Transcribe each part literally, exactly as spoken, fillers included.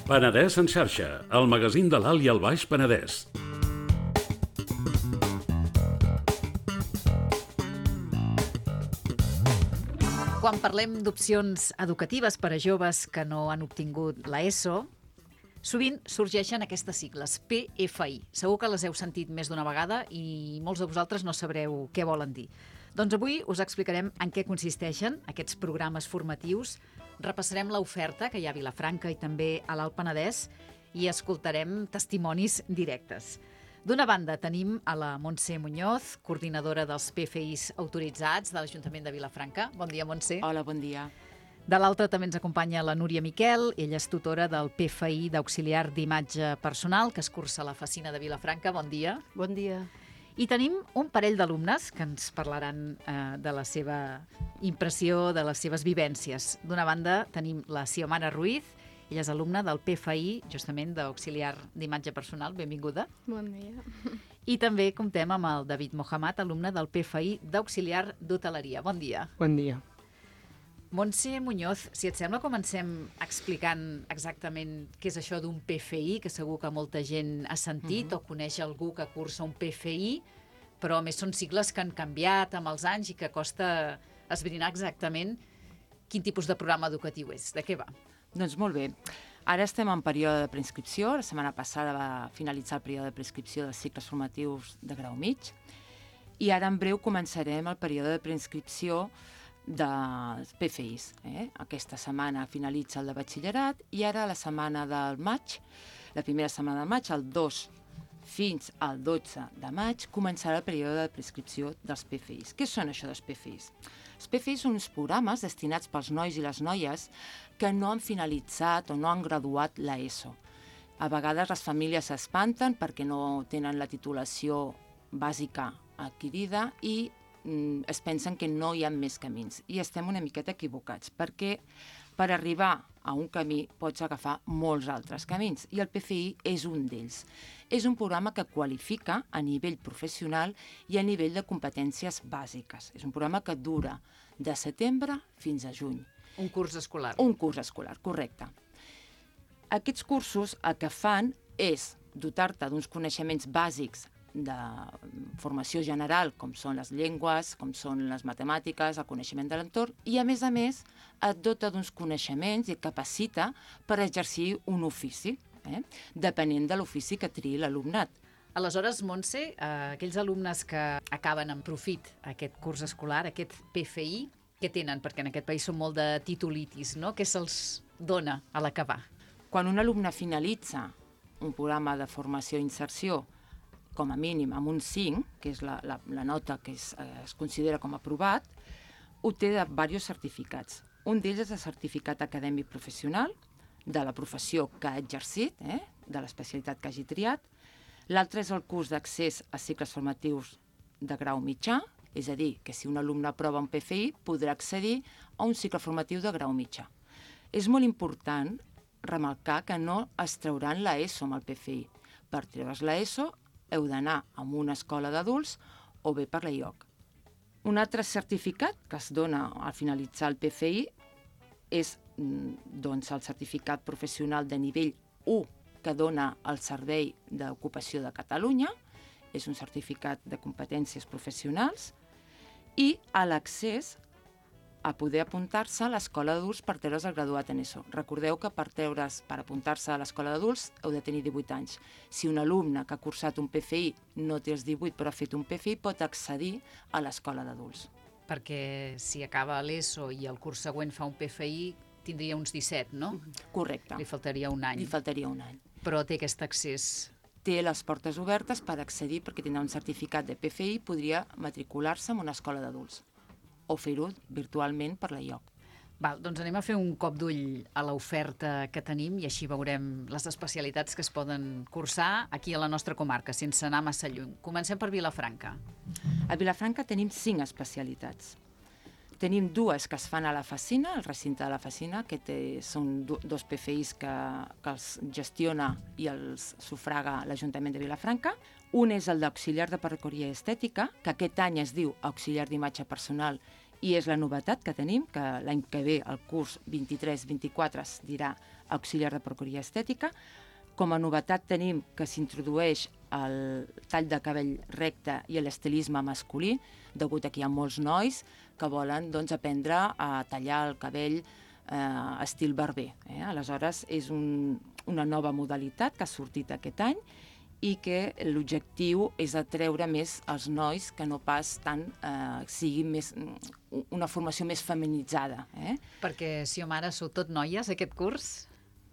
Penedès en xarxa, el magazín de l'Alt i el Baix Penedès. Quan parlem d'opcions educatives per a joves que no han obtingut l'ESO, sovint sorgeixen aquestes sigles, P F I. Segur que les heu sentit més d'una vegada i molts de vosaltres no sabreu què volen dir. Doncs avui us explicarem en què consisteixen aquests programes formatius, repassarem l'oferta que hi ha a Vilafranca i també a l'Alt Penedès i escoltarem testimonis directes. D'una banda tenim a la Montse Muñoz, coordinadora dels P F Is autoritzats de l'Ajuntament de Vilafranca. Bon dia, Montse. Hola, bon dia. De l'altra també ens acompanya la Núria Miquel, ella és tutora del P F I d'auxiliar d'imatge personal que es cursa a la Facina de Vilafranca. Bon dia. Bon dia. I tenim un parell d'alumnes que ens parlaran eh, de la seva impressió, de les seves vivències. D'una banda tenim la Xiomara Ruiz, ella és alumna del P F I, justament d'auxiliar d'imatge personal. Benvinguda. Bon dia. I també comptem amb el David Mohamed, alumne del P F I d'auxiliar d'hoteleria. Bon dia. Bon dia. Montse Muñoz, si et sembla, comencem explicant exactament què és això d'un P F I, que segur que molta gent ha sentit uh-huh. o coneix algú que cursa un P F I, però a més són sigles que han canviat amb els anys i que costa esbrinar exactament quin tipus de programa educatiu és. De què va? Doncs molt bé. Ara estem en període de preinscripció. La setmana passada va finalitzar el període de preinscripció dels cicles formatius de grau mig i ara en breu començarem el període de preinscripció dels P F Is. Eh? Aquesta setmana finalitza el de batxillerat i ara la setmana del maig, la primera setmana de maig, el dos fins al dotze de maig, començarà el període de prescripció dels P F Is. Què són això dels P F Is? Els P F Is són uns programes destinats pels nois i les noies que no han finalitzat o no han graduat l'ESO. A vegades les famílies s'espanten perquè no tenen la titulació bàsica adquirida i es pensen que no hi ha més camins. I estem una miqueta equivocats, perquè per arribar a un camí pots agafar molts altres camins, i el P F I és un d'ells. És un programa que qualifica a nivell professional i a nivell de competències bàsiques. És un programa que dura de setembre fins a juny. Un curs escolar. Un curs escolar, correcte. Aquests cursos el que fan és dotar-te d'uns coneixements bàsics de formació general, com són les llengües, com són les matemàtiques, el coneixement de l'entorn, i a més a més et dota d'uns coneixements i et capacita per exercir un ofici, eh? depenent de l'ofici que triï l'alumnat. Aleshores, Montse, eh, aquells alumnes que acaben en profit aquest curs escolar, aquest P F I, què tenen? Perquè en aquest país són molt de titulitis, no? Què se'ls dona a l'acabar? Quan un alumne finalitza un programa de formació i inserció com a mínim amb un cinc, que és la, la, la nota que es, eh, es considera com aprovat, obté de diversos certificats. Un d'ells és el certificat acadèmic professional de la professió que ha exercit, eh, de l'especialitat que hagi triat. L'altre és el curs d'accés a cicles formatius de grau mitjà, és a dir, que si un alumne aprova un P F I podrà accedir a un cicle formatiu de grau mitjà. És molt important remarcar que no es trauran l'ESO amb el P F I. Per treure's l'ESO heu d'anar a una escola d'adults o bé per l'E I O C. Un altre certificat que es dona al finalitzar el P F I és doncs, el certificat professional de nivell u que dona el Servei d'Ocupació de Catalunya, és un certificat de competències professionals, i a l'accés a poder apuntar-se a l'escola d'adults per treure's el graduat en ESO. Recordeu que per treure's, per apuntar-se a l'escola d'adults heu de tenir divuit anys. Si un alumne que ha cursat un P F I no té els divuit però ha fet un P F I, pot accedir a l'escola d'adults. Perquè si acaba l'ESO i el curs següent fa un P F I, tindria uns disset, no? Correcte. Li faltaria un any. Li faltaria un any. Però té aquest accés. Té les portes obertes per accedir, perquè tindrà un certificat de P F I i podria matricular-se en una escola d'adults o fer-ho virtualment per l'E I O C. Val, doncs anem a fer un cop d'ull a l'oferta que tenim i així veurem les especialitats que es poden cursar aquí a la nostra comarca, sense anar massa lluny. Comencem per Vilafranca. A Vilafranca tenim cinc especialitats. Tenim dues que es fan a la Facina, al recinte de la Facina, que té, són do, dos P F Is que, que els gestiona i els sufraga l'Ajuntament de Vilafranca. Un és el d'auxiliar de perruqueria estètica, que aquest any es diu auxiliar d'imatge personal i és la novetat que tenim, que l'any que ve, el curs vint-i-tres vint-i-quatre, es dirà auxiliar de peluqueria estètica. Com a novetat tenim que s'introdueix el tall de cabell recte i l'estilisme masculí, degut a que hi ha molts nois que volen doncs, aprendre a tallar el cabell eh, estil barber. Eh? Aleshores, és un, una nova modalitat que ha sortit aquest any i que l'objectiu és atreure més els nois, que no pas tant eh, sigui més, una formació més feminitzada. Eh? Perquè, si o mare, sou tot noies, aquest curs?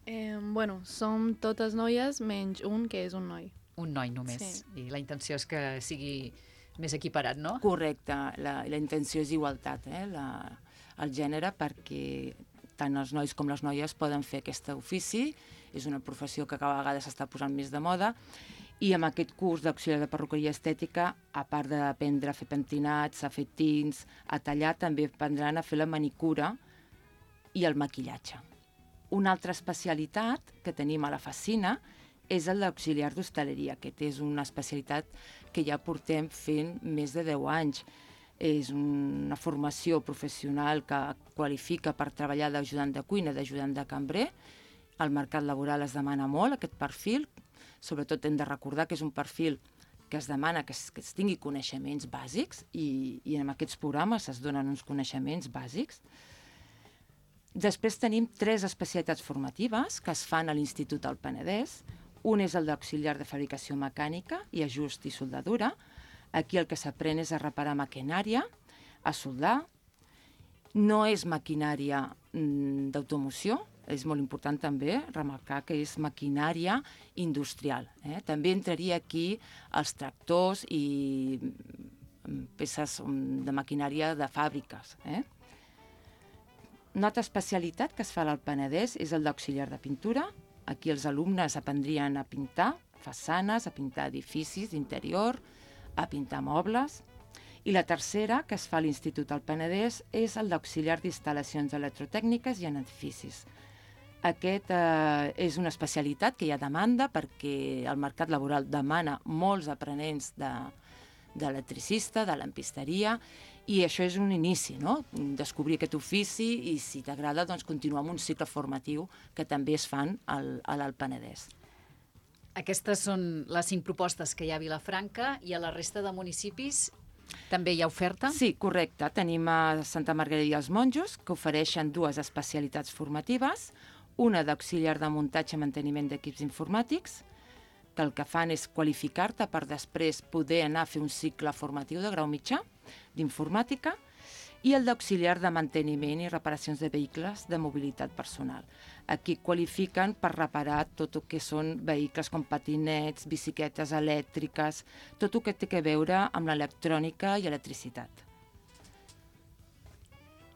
Eh, bueno, som totes noies menys un que és un noi. Un noi només. Sí. I la intenció és que sigui més equiparat, no? Correcte, la, la intenció és igualtat, eh? la, el gènere, perquè tant els nois com les noies poden fer aquest ofici. És una professió que cada vegada s'està posant més de moda, i amb aquest curs d'auxiliar de perruqueria estètica, a part d'aprendre a fer pentinats, a fer tints, a tallar, també aprendran a fer la manicura i el maquillatge. Una altra especialitat que tenim a la Facina és el d'auxiliar d'hostaleria. Aquest és una especialitat que ja portem fent més de deu anys. És una formació professional que qualifica per treballar d'ajudant de cuina, d'ajudant de cambrer. El mercat laboral es demana molt aquest perfil. Sobretot hem de recordar que és un perfil que es demana que es, que es tingui coneixements bàsics i, i en aquests programes es donen uns coneixements bàsics. Després tenim tres especialitats formatives que es fan a l'Institut del Penedès. Un és el d'auxiliar de fabricació mecànica i ajust i soldadura. Aquí el que s'aprèn és a reparar maquinària, a soldar. No és maquinària mm, d'automoció, és molt important també remarcar que és maquinària industrial. Eh? També entraria aquí els tractors i peces de maquinària de fàbriques. Eh? Una altra especialitat que es fa al Penedès és el d'auxiliar de pintura. Aquí els alumnes aprendrien a pintar façanes, a pintar edificis d'interior, a pintar mobles. I la tercera, que es fa a l'Institut del Penedès, és el d'auxiliar d'instal·lacions electrotècniques i en edificis. Aquest eh, és una especialitat que hi ha demanda perquè el mercat laboral demana molts aprenents de, d'electricista, de lampisteria, i això és un inici, no? Descobrir aquest ofici i, si t'agrada, doncs, continuar amb un cicle formatiu que també es fan al, a l'Alt Penedès. Aquestes són les cinc propostes que hi ha a Vilafranca, i a la resta de municipis també hi ha oferta? Sí, correcte. Tenim a Santa Margarida i els Monjos, que ofereixen dues especialitats formatives, una d'auxiliar de muntatge i manteniment d'equips informàtics, que el que fan és qualificar-te per després poder anar a fer un cicle formatiu de grau mitjà d'informàtica, i el d'auxiliar de manteniment i reparacions de vehicles de mobilitat personal. Aquí qualifiquen per reparar tot el que són vehicles com patinets, bicicletes elèctriques, tot el que té a veure amb l'electrònica i electricitat.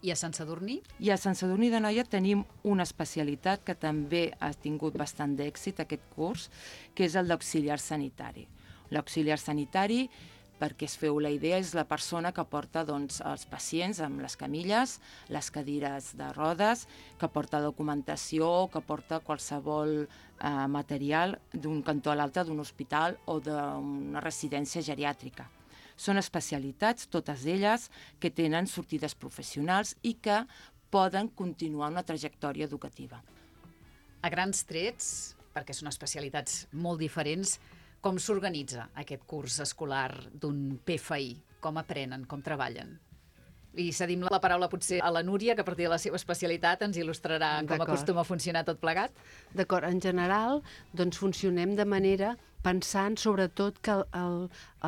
I a Sant Sadurní? I a Sant Sadurní d'Anoia tenim una especialitat que també ha tingut bastant d'èxit aquest curs, que és el d'auxiliar sanitari. L'auxiliar sanitari, perquè es feu la idea, és la persona que porta doncs, els pacients amb les camilles, les cadires de rodes, que porta documentació, que porta qualsevol eh, material d'un cantó a l'altre d'un hospital o d'una residència geriàtrica. Són especialitats, totes elles, que tenen sortides professionals i que poden continuar una trajectòria educativa. A grans trets, perquè són especialitats molt diferents, com s'organitza aquest curs escolar d'un P F I? Com aprenen, com treballen? I cedim la paraula potser a la Núria, que a partir de la seva especialitat ens il·lustrarà com acostuma a funcionar tot plegat. D'acord, en general, doncs funcionem de manera pensant sobretot que el, el,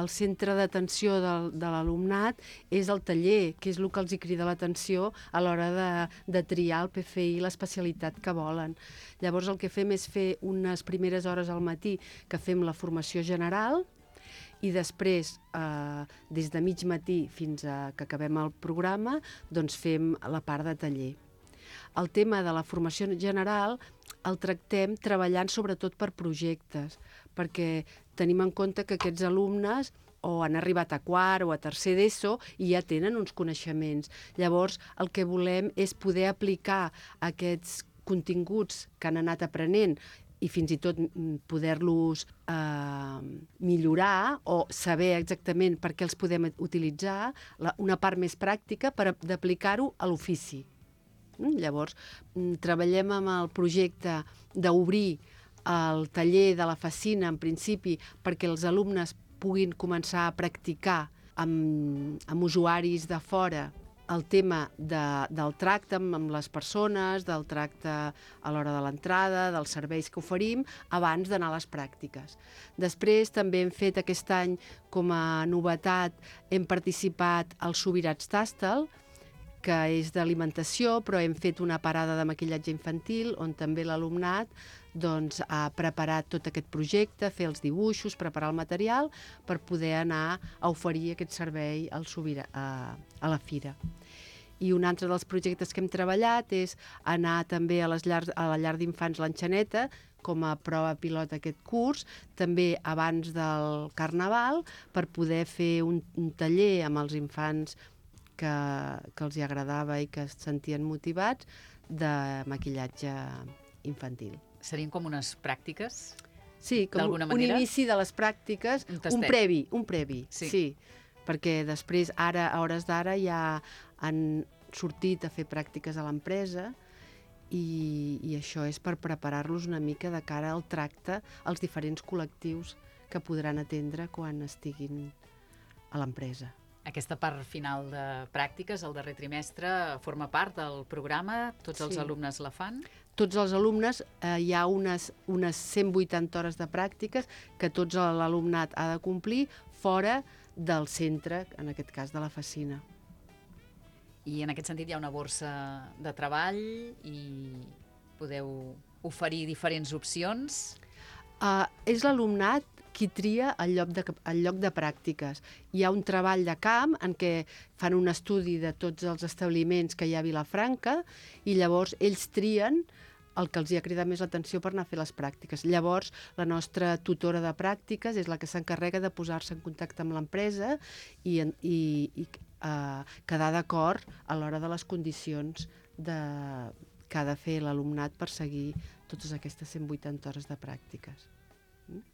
el centre d'atenció del, de l'alumnat és el taller, que és el que els hi crida l'atenció a l'hora de, de triar el P F I, l'especialitat que volen. Llavors el que fem és fer unes primeres hores al matí que fem la formació general, i després, eh, des de mig matí fins a que acabem el programa, doncs fem la part de taller. El tema de la formació general el tractem treballant sobretot per projectes, perquè tenim en compte que aquests alumnes o han arribat a quart o a tercer d'ESO i ja tenen uns coneixements. Llavors, el que volem és poder aplicar aquests continguts que han anat aprenent i fins i tot poder-los eh, millorar o saber exactament per què els podem utilitzar, la, una part més pràctica per d'aplicar-ho a l'ofici. Mm? Llavors, treballem amb el projecte d'obrir el taller de la Facina, en principi, perquè els alumnes puguin començar a practicar amb, amb usuaris de fora el tema de, del tracte amb, amb les persones, del tracte a l'hora de l'entrada, dels serveis que oferim, abans d'anar a les pràctiques. Després també hem fet aquest any, com a novetat, hem participat al Subirats Tastel, que és d'alimentació, però hem fet una parada de maquillatge infantil, on també l'alumnat doncs, ha preparat tot aquest projecte, fer els dibuixos, preparar el material, per poder anar a oferir aquest servei al Subira, a, a la fira. I un altre dels projectes que hem treballat és anar també a, les llars, a la llar d'infants l'Enxaneta, com a prova pilot aquest curs, també abans del Carnaval, per poder fer un, un taller amb els infants que, que els hi agradava i que es sentien motivats, de maquillatge infantil. Serien com unes pràctiques? Sí, com un manera? inici de les pràctiques, un, un previ, un previ, sí. sí. Perquè després, ara, a hores d'ara, ja han sortit a fer pràctiques a l'empresa i, i això és per preparar-los una mica de cara al tracte als diferents col·lectius que podran atendre quan estiguin a l'empresa. Aquesta part final de pràctiques, el darrer trimestre, forma part del programa? Tots els sí. alumnes la fan? Tots els alumnes, eh, hi ha unes, unes cent vuitanta hores de pràctiques que tots l'alumnat ha de complir fora del centre, en aquest cas de la Facina. I en aquest sentit hi ha una borsa de treball i podeu oferir diferents opcions? Uh, és l'alumnat qui tria el lloc, de, el lloc de pràctiques. Hi ha un treball de camp en què fan un estudi de tots els establiments que hi ha a Vilafranca i llavors ells trien el que els hi ha cridat més l'atenció per anar a fer les pràctiques. Llavors, la nostra tutora de pràctiques és la que s'encarrega de posar-se en contacte amb l'empresa i, i, i uh, quedar d'acord a l'hora de les condicions de, que ha de fer l'alumnat per seguir totes aquestes cent vuitanta hores de pràctiques. Mm?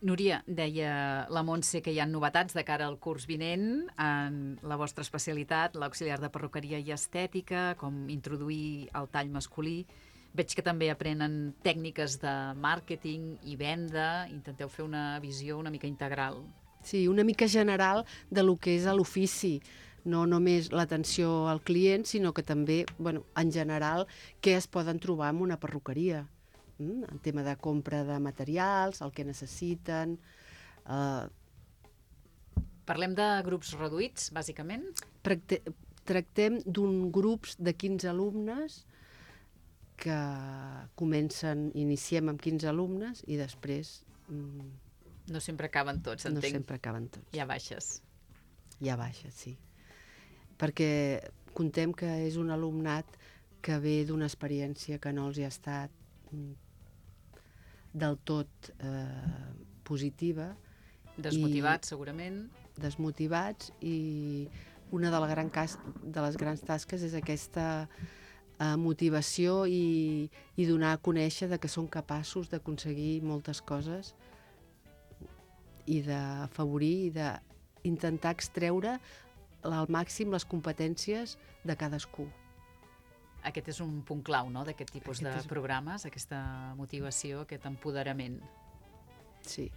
Núria, deia la Montse que hi ha novetats de cara al curs vinent en la vostra especialitat, l'auxiliar de perruqueria i estètica, com introduir el tall masculí. Veig que també aprenen tècniques de màrqueting i venda, intenteu fer una visió una mica integral. Sí, una mica general de lo que és l'ofici, no només l'atenció al client, sinó que també, bueno, en general, què es poden trobar en una perruqueria. Mm, el tema de compra de materials, el que necessiten. Uh... Parlem de grups reduïts, bàsicament? Tracte, tractem d'un grups de quinze alumnes que comencen, iniciem amb quinze alumnes i després... Mm, no sempre acaben tots, entenc. No sempre acaben tots. Hi ha baixes. Hi ha baixes, sí. Perquè contem que és un alumnat que ve d'una experiència que no els hi ha estat del tot eh, positiva. Desmotivats, segurament. Desmotivats, i una de, la gran cas, de les grans tasques és aquesta eh, motivació i, i donar a conèixer de que són capaços d'aconseguir moltes coses i d'afavorir i d'intentar extreure al màxim les competències de cadascú. Aquest és un punt clau, no?, d'aquest tipus aquest de és... programes, aquesta motivació, aquest empoderament. Sí.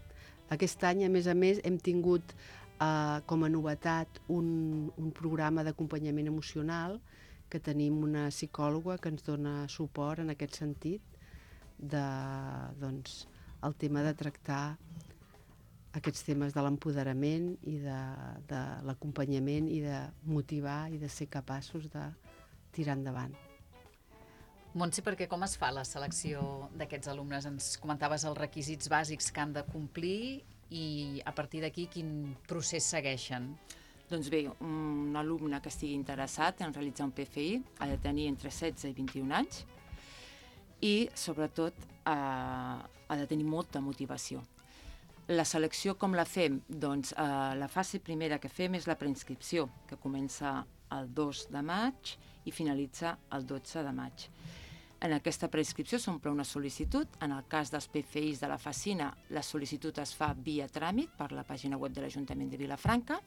Aquest any, a més a més, hem tingut eh, com a novetat un, un programa d'acompanyament emocional, que tenim una psicòloga que ens dona suport en aquest sentit, de, doncs, el tema de tractar aquests temes de l'empoderament i de, de l'acompanyament i de motivar i de ser capaços de tirar endavant. Montse, perquè com es fa la selecció d'aquests alumnes? Ens comentaves els requisits bàsics que han de complir i a partir d'aquí quin procés segueixen? Doncs bé, un alumne que estigui interessat en realitzar un P F I ha de tenir entre setze i vint-i-un anys i, sobretot, eh, ha de tenir molta motivació. La selecció com la fem? Doncs eh, la fase primera que fem és la preinscripció, que comença el dos de maig i finalitza el dotze de maig. En aquesta preinscripció s'omple una sol·licitud. En el cas dels P F Is de la Facina, la sol·licitud es fa via tràmit per la pàgina web de l'Ajuntament de Vilafranca,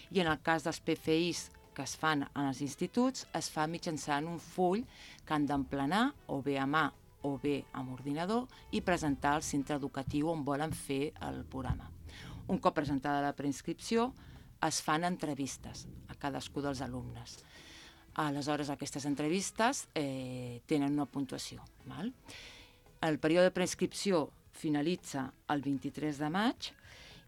i en el cas dels P F Is que es fan en els instituts es fa mitjançant un full que han d'emplenar o bé a mà o bé amb ordinador i presentar al centre educatiu on volen fer el programa. Un cop presentada la preinscripció, es fan entrevistes a cadascú dels alumnes. Aleshores, aquestes entrevistes eh, tenen una puntuació. Val? El període de preinscripció finalitza el vint-i-tres de maig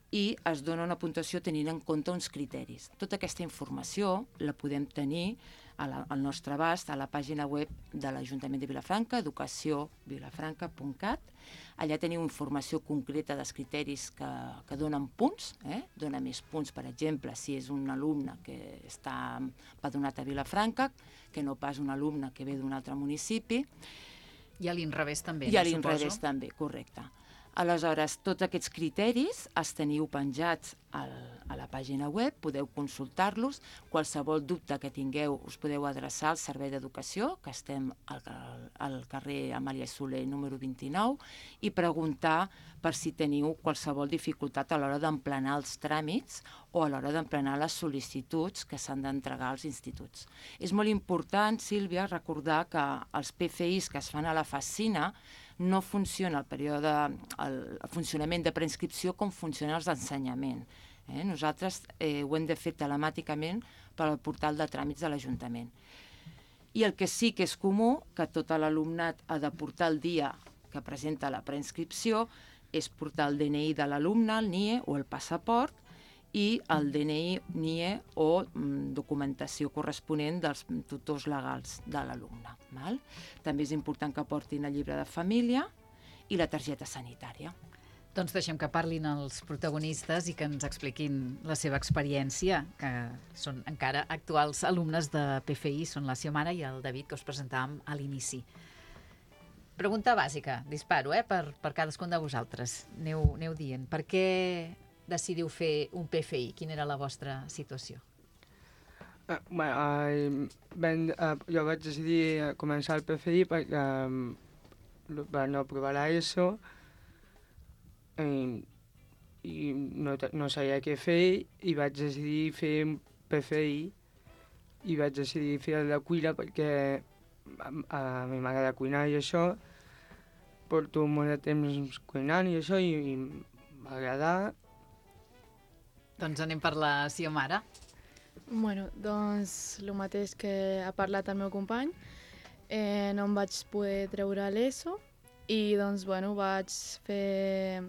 i es dona una puntuació tenint en compte uns criteris. Tota aquesta informació la podem tenir a la, al nostre abast a la pàgina web de l'Ajuntament de Vilafranca, educació vilafranca punt cat. Allà teniu informació concreta dels criteris que, que donen punts, eh? Dona més punts, per exemple, si és un alumne que està empadronat a Vilafranca, que no pas un alumne que ve d'un altre municipi. I a l'inrevés també, I a no, l'inrevés suposo? també, correcte. Aleshores, tots aquests criteris els teniu penjats al, a la pàgina web, podeu consultar-los. Qualsevol dubte que tingueu us podeu adreçar al Servei d'Educació, que estem al, al carrer Amàlia Soler número vint-i-nou, i preguntar per si teniu qualsevol dificultat a l'hora d'emplenar els tràmits o a l'hora d'emplenar les sol·licituds que s'han d'entregar als instituts. És molt important, Sílvia, recordar que els P F Is que es fan a la Facina no funciona el període, el, el funcionament de preinscripció com funciona els d'ensenyament. Eh? Nosaltres eh, ho hem de fer telemàticament per al portal de tràmits de l'Ajuntament. I el que sí que és comú, que tot l'alumnat ha de portar el dia que presenta la preinscripció, és portar el D N I de l'alumne, el N I E o el passaport, i el D N I, N I E o mm, documentació corresponent dels tutors legals de l'alumne. Val? També és important que portin el llibre de família i la targeta sanitària. Doncs deixem que parlin els protagonistes i que ens expliquin la seva experiència, que són encara actuals alumnes de P F I, són la Xiomara i el David, que us presentàvem a l'inici. Pregunta bàsica, disparo, eh, per, per cadascun de vosaltres. Aneu, aneu dient, per què decidiu fer un P F I? Quina era la vostra situació? Uh, bueno, uh, ben, uh, jo vaig decidir començar el P F I perquè uh, per no provar l'ESO i, i no, no sabia què fer i vaig decidir fer un P F I i vaig decidir fer el de cuina perquè a, a mi m'agrada cuinar i això, porto molt de temps cuinant i això i, i m'agrada. Doncs anem per la Xiomara. Bueno, doncs el mateix que ha parlat el meu company. Eh, no em vaig poder treure l'ESO i doncs, bueno, vaig fer...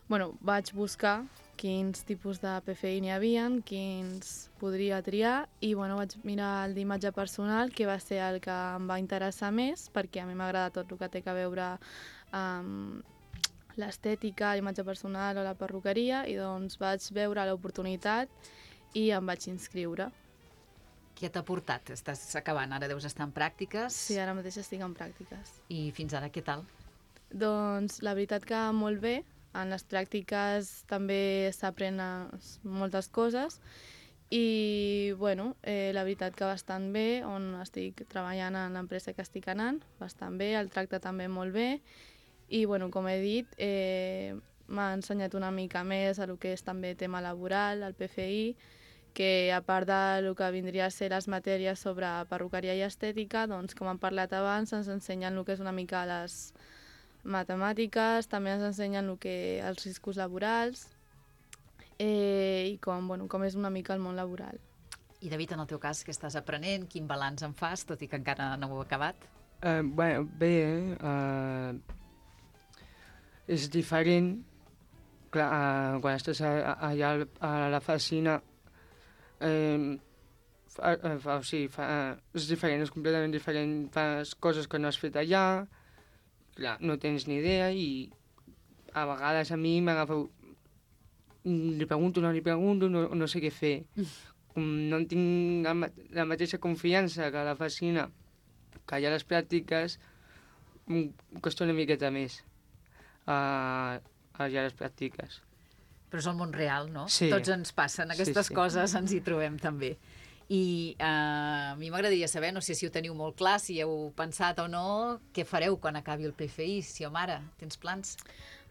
Bueno, vaig buscar quins tipus de P F I n'hi havia, quins podria triar i bueno, vaig mirar el d'imatge personal, que va ser el que em va interessar més, perquè a mi m'agrada tot el que té a veure amb l'estètica, l'imatge personal o la perruqueria, i doncs vaig veure l'oportunitat i em vaig inscriure. Què t'ha portat? Estàs acabant, ara deus estar en pràctiques. Sí, ara mateix estic en pràctiques. I fins ara què tal? Doncs la veritat que molt bé. En les pràctiques també s'aprenen moltes coses i bueno, eh, la veritat que bastant bé, on estic treballant en l'empresa que estic anant, bastant bé, el tracte també molt bé i bueno, com he dit, eh, m'ha ensenyat una mica més a lo que és també tema laboral, el P F I, que a part del que vindria a ser les matèries sobre perruqueria i estètica, doncs com hem parlat abans, ens ensenyen el que és una mica les matemàtiques, també ens ensenyen el que, els riscos laborals eh, i com, bueno, com és una mica el món laboral. I David, en el teu cas, què estàs aprenent? Quin balanç en fas, tot i que encara no ho he acabat? Uh, bueno, bé, uh, és diferent. Clar, uh, quan estàs a, a, allà a la Facina, eh, fa, fa, o sigui, fa, és diferent, és completament diferent, fas coses que no has fet allà, clar, no tens ni idea i a vegades a mi m'agafa... Li pregunto, no li pregunto, no, no sé què fer. No tinc la, la mateixa confiança que a la Facina, que allà a les pràctiques em costa una miqueta més uh, allà a les pràctiques. Però és el món real, no? Sí. Tots ens passen aquestes sí, sí. coses, ens hi trobem també. I eh, a mi m'agradaria saber, no sé si ho teniu molt clar, si heu pensat o no, què fareu quan acabi el P F I, Xiomara? Tens plans?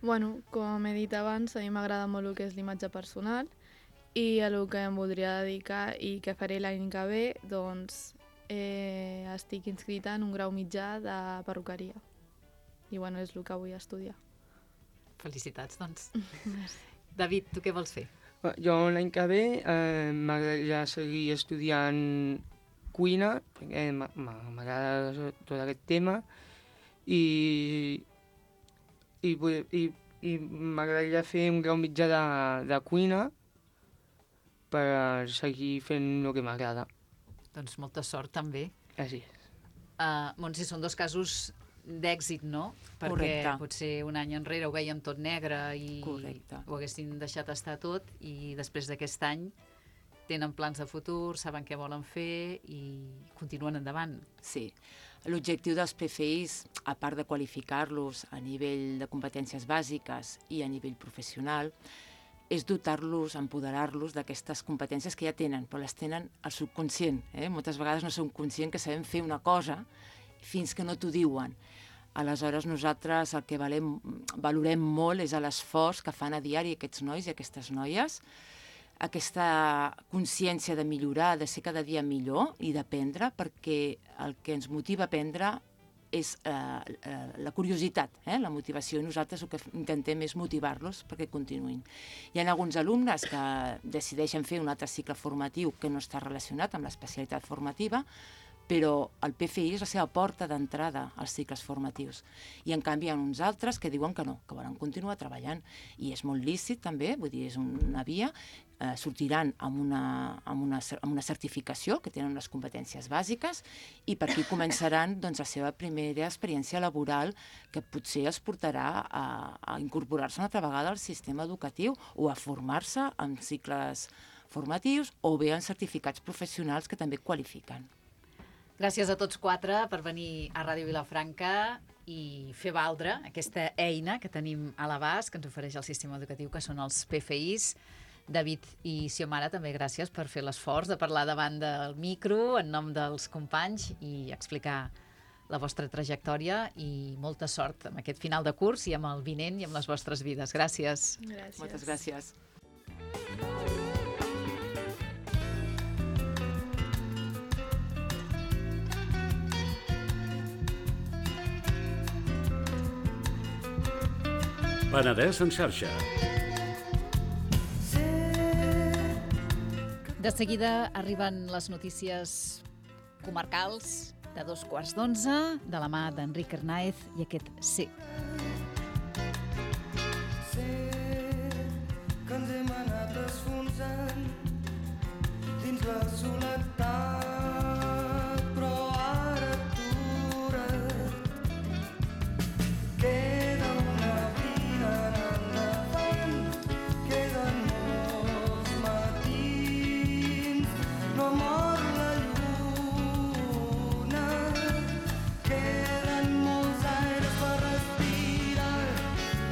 Bueno, com he dit abans, a mi m'agrada molt el que és l'imatge personal i a el que em voldria dedicar i que faré l'any que ve, doncs eh, estic inscrita en un grau mitjà de perruqueria. I bueno, és el que vull estudiar. Felicitats, doncs. Merci. David, tu què vols fer? Jo l'any que ve eh, m'agradaria seguir estudiant cuina, perquè m'agrada tot aquest tema, i, i, i, i m'agradaria fer un grau mitjà de, de cuina per seguir fent el que m'agrada. Doncs molta sort, també. Així. Uh, Montse, són dos casos d'èxit, no? Perquè Correcte. potser un any enrere ho veiem tot negre i Correcte. ho haguessin deixat estar tot, i després d'aquest any tenen plans de futur, saben què volen fer i continuen endavant. Sí. L'objectiu dels P F Is, a part de qualificar-los a nivell de competències bàsiques i a nivell professional, és dotar-los, empoderar-los d'aquestes competències que ja tenen, però les tenen al subconscient. Eh? Moltes vegades no som conscients que sabem fer una cosa fins que no t'ho diuen. Aleshores, nosaltres el que valem, valorem molt és l'esforç que fan a diari aquests nois i aquestes noies, aquesta consciència de millorar, de ser cada dia millor i d'aprendre, perquè el que ens motiva a aprendre és eh, eh, la curiositat, eh, la motivació, i nosaltres el que intentem és motivar-los perquè continuïn. Hi ha alguns alumnes que decideixen fer un altre cicle formatiu que no està relacionat amb l'especialitat formativa, però el P F I és la seva porta d'entrada als cicles formatius. I en canvi hi ha uns altres que diuen que no, que volen continuar treballant. I és molt lícit també, vull dir, és una via, eh, sortiran amb una, amb, una, amb una certificació, que tenen unes competències bàsiques, i per aquí començaran doncs, la seva primera experiència laboral, que potser els portarà a, a incorporar-se una altra vegada al sistema educatiu o a formar-se en cicles formatius o bé en certificats professionals que també qualifiquen. Gràcies a tots quatre per venir a Ràdio Vilafranca i fer valdre aquesta eina que tenim a l'abast, que ens ofereix el sistema educatiu, que són els P F Is. David i Xiomara, també gràcies per fer l'esforç de parlar davant del micro en nom dels companys i explicar la vostra trajectòria, i molta sort amb aquest final de curs i amb el vinent i amb les vostres vides. Gràcies. Gràcies. Moltes gràcies. Penedès en xarxa. De seguida arriben les notícies comarcals de dos quarts d'onze, de la mà d'Enric Hernáez i aquest C. Sé que ens hem anat esfonsant dins la soledat, però ara atura't. Queda una vida endavant, queden molts matins, no mor la lluna, queden molts aires per respirar,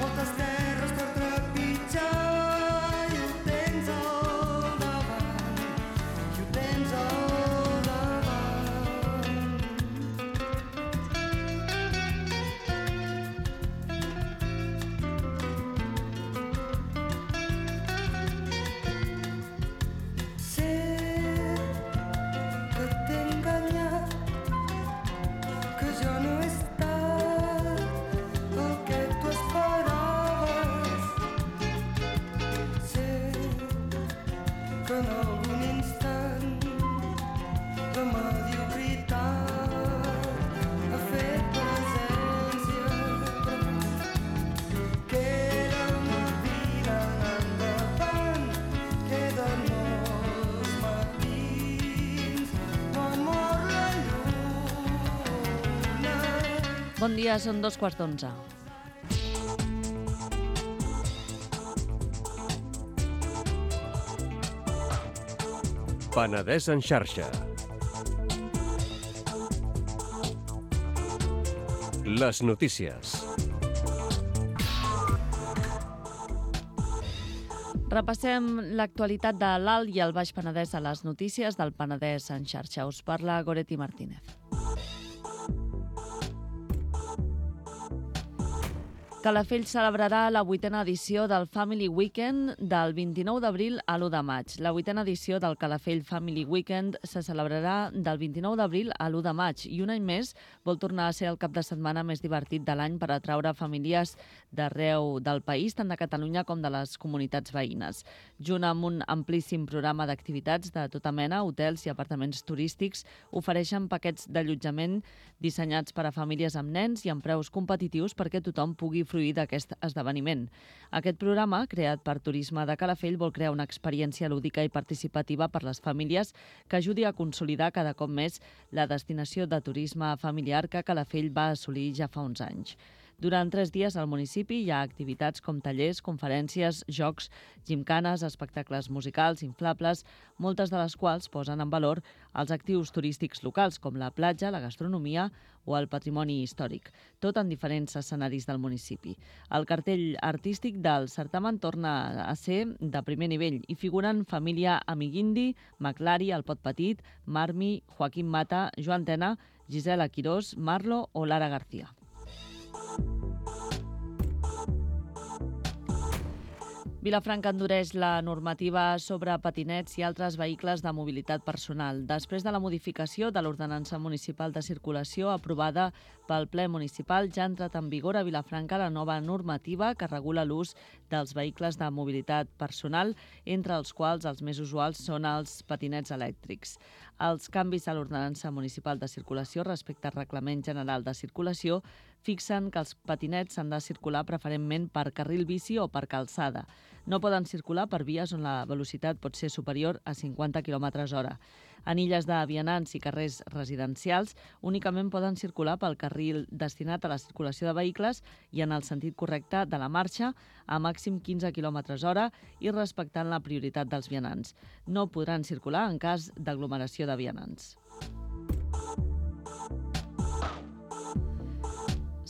moltes terres per trepitjar, i ho tens al davant, i ho tens al davant. Sé que t'he enganyat, que jo no he estat el que tu esperaves. Sé que en algun instant la mediocritat ha fet presència, queda una vida endavant, queden molts matins, no mor la lluna. Bon dia, són dos quarts d'onze. Penedès en xarxa. Les notícies. Repassem l'actualitat de l'Alt i el Baix Penedès a les notícies del Penedès en xarxa. Us parla Goretti Martínez. Calafell celebrarà la vuitena edició del Family Weekend del vint-i-nou d'abril a l'u de maig. La vuitena edició del Calafell Family Weekend se celebrarà del vint-i-nou d'abril a l'u de maig i un any més vol tornar a ser el cap de setmana més divertit de l'any per atraure famílies d'arreu del país, tant de Catalunya com de les comunitats veïnes. Junt amb un amplíssim programa d'activitats de tota mena, hotels i apartaments turístics ofereixen paquets d'allotjament dissenyats per a famílies amb nens i amb preus competitius perquè tothom pugui fruir d'aquest esdeveniment. Aquest programa, creat per Turisme de Calafell, vol crear una experiència lúdica i participativa per les famílies que ajudi a consolidar cada cop més la destinació de turisme familiar que Calafell va assolir ja fa uns anys. Durant tres dies al municipi hi ha activitats com tallers, conferències, jocs, gimcanes, espectacles musicals, inflables, moltes de les quals posen en valor els actius turístics locals, com la platja, la gastronomia o el patrimoni històric, tot en diferents escenaris del municipi. El cartell artístic del certamen torna a ser de primer nivell i figuren Família Amiguindi, Maclari, El Pot Petit, Marmi, Joaquim Mata, Joan Tena, Gisela Quirós, Marlo o Lara García. Vilafranca endureix la normativa sobre patinets i altres vehicles de mobilitat personal. Després de la modificació de l'Ordenança Municipal de Circulació aprovada pel ple municipal, ja ha entrat en vigor a Vilafranca la nova normativa que regula l'ús dels vehicles de mobilitat personal, entre els quals els més usuals són els patinets elèctrics. Els canvis a l'Ordenança Municipal de Circulació respecte al Reglament General de Circulació fixen que els patinets han de circular preferentment per carril bici o per calçada. No poden circular per vies on la velocitat pot ser superior a cinquanta quilòmetres hora. En illes de vianants i carrers residencials únicament poden circular pel carril destinat a la circulació de vehicles i en el sentit correcte de la marxa a màxim quinze quilòmetres hora i respectant la prioritat dels vianants. No podran circular en cas d'aglomeració de vianants.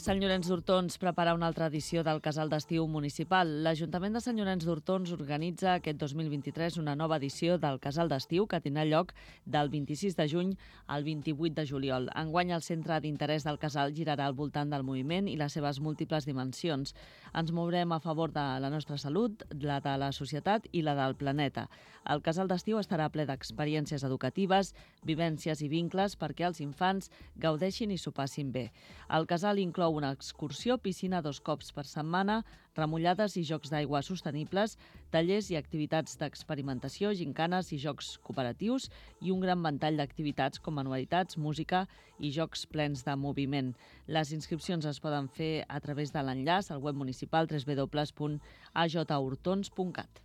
Sant Llorenç d'Hortons prepara una altra edició del Casal d'Estiu Municipal. L'Ajuntament de Sant Llorenç d'Hortons organitza aquest dos mil vint-i-tres una nova edició del Casal d'Estiu que tindrà lloc del vint-i-sis de juny al vint-i-vuit de juliol. Enguany el centre d'interès del casal girarà al voltant del moviment i les seves múltiples dimensions. Ens mourem a favor de la nostra salut, la de la societat i la del planeta. El Casal d'Estiu estarà ple d'experiències educatives, vivències i vincles perquè els infants gaudeixin i s'ho passin bé. El casal inclou una excursió, piscina dos cops per setmana, remullades i jocs d'aigua sostenibles, tallers i activitats d'experimentació, gincanes i jocs cooperatius i un gran ventall d'activitats com manualitats, música i jocs plens de moviment. Les inscripcions es poden fer a través de l'enllaç al web municipal w w w punt a j hortons punt cat.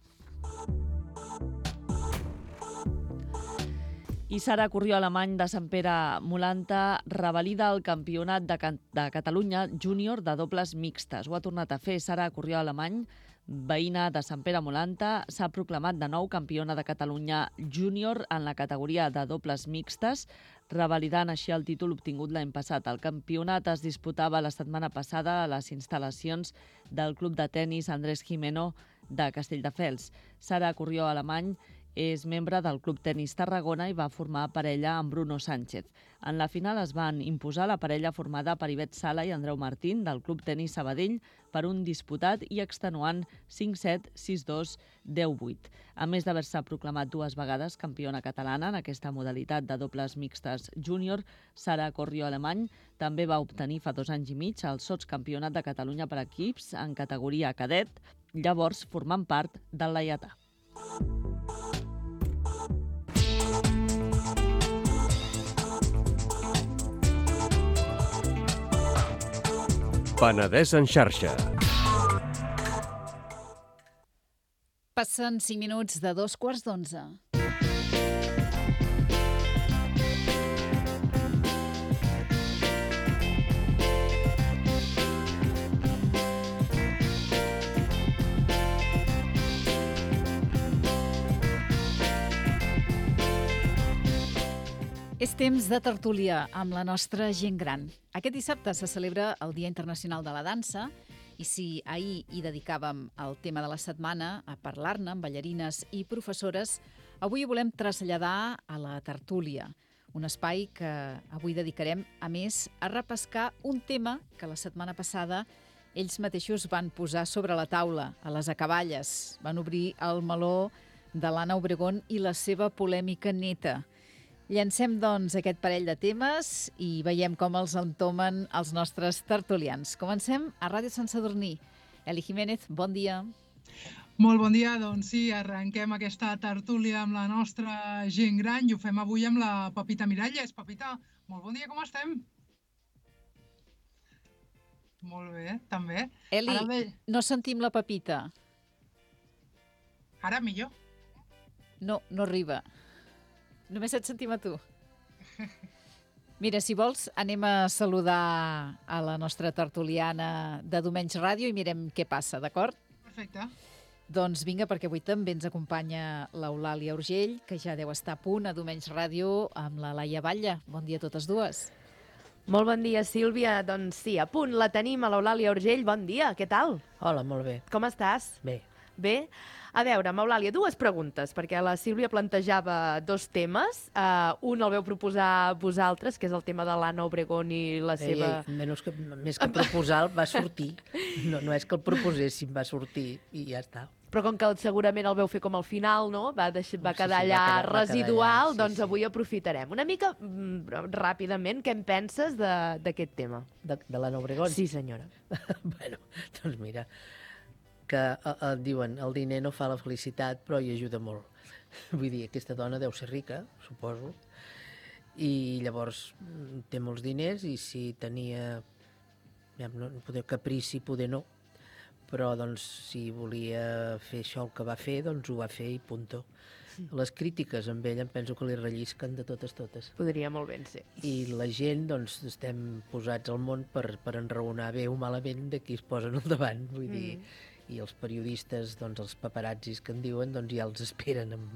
I Sara Corrió Alemany de Sant Pere Molanta revalida el campionat de, Can de Catalunya júnior de dobles mixtes. Ho ha tornat a fer Sara Corrió Alemany, veïna de Sant Pere Molanta, s'ha proclamat de nou campiona de Catalunya júnior en la categoria de dobles mixtes, revalidant així el títol obtingut l'any passat. El campionat es disputava la setmana passada a les instal·lacions del Club de Tenis Andrés Jimeno de Castelldefels. Sara Corrió Alemany és membre del Club Tenis Tarragona i va formar parella amb Bruno Sánchez. En la final es van imposar la parella formada per Ivet Sala i Andreu Martín del Club Tenis Sabadell per un disputat i extenuant cinc set, sis dos, deu vuit. A més d'haver-se proclamat dues vegades campiona catalana en aquesta modalitat de dobles mixtes júnior, Sara Corrió Alemany també va obtenir fa dos anys i mig el sotscampionat de Catalunya per equips en categoria cadet, llavors formant part del Laietà. Penedès en xarxa. Passen cinc minuts de dos quarts d'onze. És temps de tertúlia amb la nostra gent gran. Aquest dissabte se celebra el Dia Internacional de la Dansa I si ahir hi dedicàvem el tema de la setmana a parlar-ne amb ballarines i professores, avui ho volem traslladar a la tertúlia, un espai que avui dedicarem, a més, a repescar un tema que la setmana passada ells mateixos van posar sobre la taula, a les acaballes. Van obrir el meló de l'Anna Obregón i la seva polèmica neta. Llancem, doncs, aquest parell de temes i veiem com els entomen els nostres tertulians. Comencem a Ràdio Sant Sadurní. Eli Jiménez, bon dia. Molt bon dia, doncs sí, arrenquem aquesta tertúlia amb la nostra gent gran i ho fem avui amb la Pepita Miralles. Pepita, molt bon dia, com estem? Molt bé, també. Eli, Ara ve... no sentim la Pepita. Ara millor. No, no arriba. Només et sentim a tu. Mira, si vols, anem a saludar a la nostra tertuliana de Domenys Ràdio i mirem què passa, d'acord? Perfecte. Doncs vinga, perquè avui també ens acompanya l'Eulàlia Urgell, que ja deu estar a punt a Domenys Ràdio amb la Laia Batlle. Bon dia a totes dues. Molt bon dia, Sílvia. Doncs sí, a punt la tenim a l'Eulàlia Urgell. Bon dia, què tal? Hola, molt bé. Com estàs? Bé. Bé? A veure, Eulàlia, dues preguntes, perquè la Sílvia plantejava dos temes. Uh, un el veu proposar vosaltres, que és el tema de l'Anna Obregón i la Ei, seva... ei, menys que, més que proposar, va sortir. No, no és que el proposéssim, va sortir i ja està. Però com que segurament el veu fer com al final, no? Va, deix... va quedar sí, allà va quedar, residual, va quedar allà, sí, doncs sí. avui aprofitarem. Una mica mm, ràpidament, què en penses d'aquest tema? De, de l'Anna Obregón? Sí, senyora. Bueno, doncs mira, que eh, eh, diuen el diner no fa la felicitat, però hi ajuda molt. Vull dir, aquesta dona deu ser rica, suposo, i llavors mm, té molts diners i si tenia ja, no, poder caprici, poder no, però doncs si volia fer això el que va fer, doncs ho va fer i punto. Les crítiques amb ell em penso que li rellisquen de totes totes. Podria molt ben ser. I la gent, doncs, estem posats al món per, per enraonar bé o malament de qui es posen al davant, vull mm. dir, i els periodistes, doncs, els paparazzis que en diuen, doncs ja els esperen amb,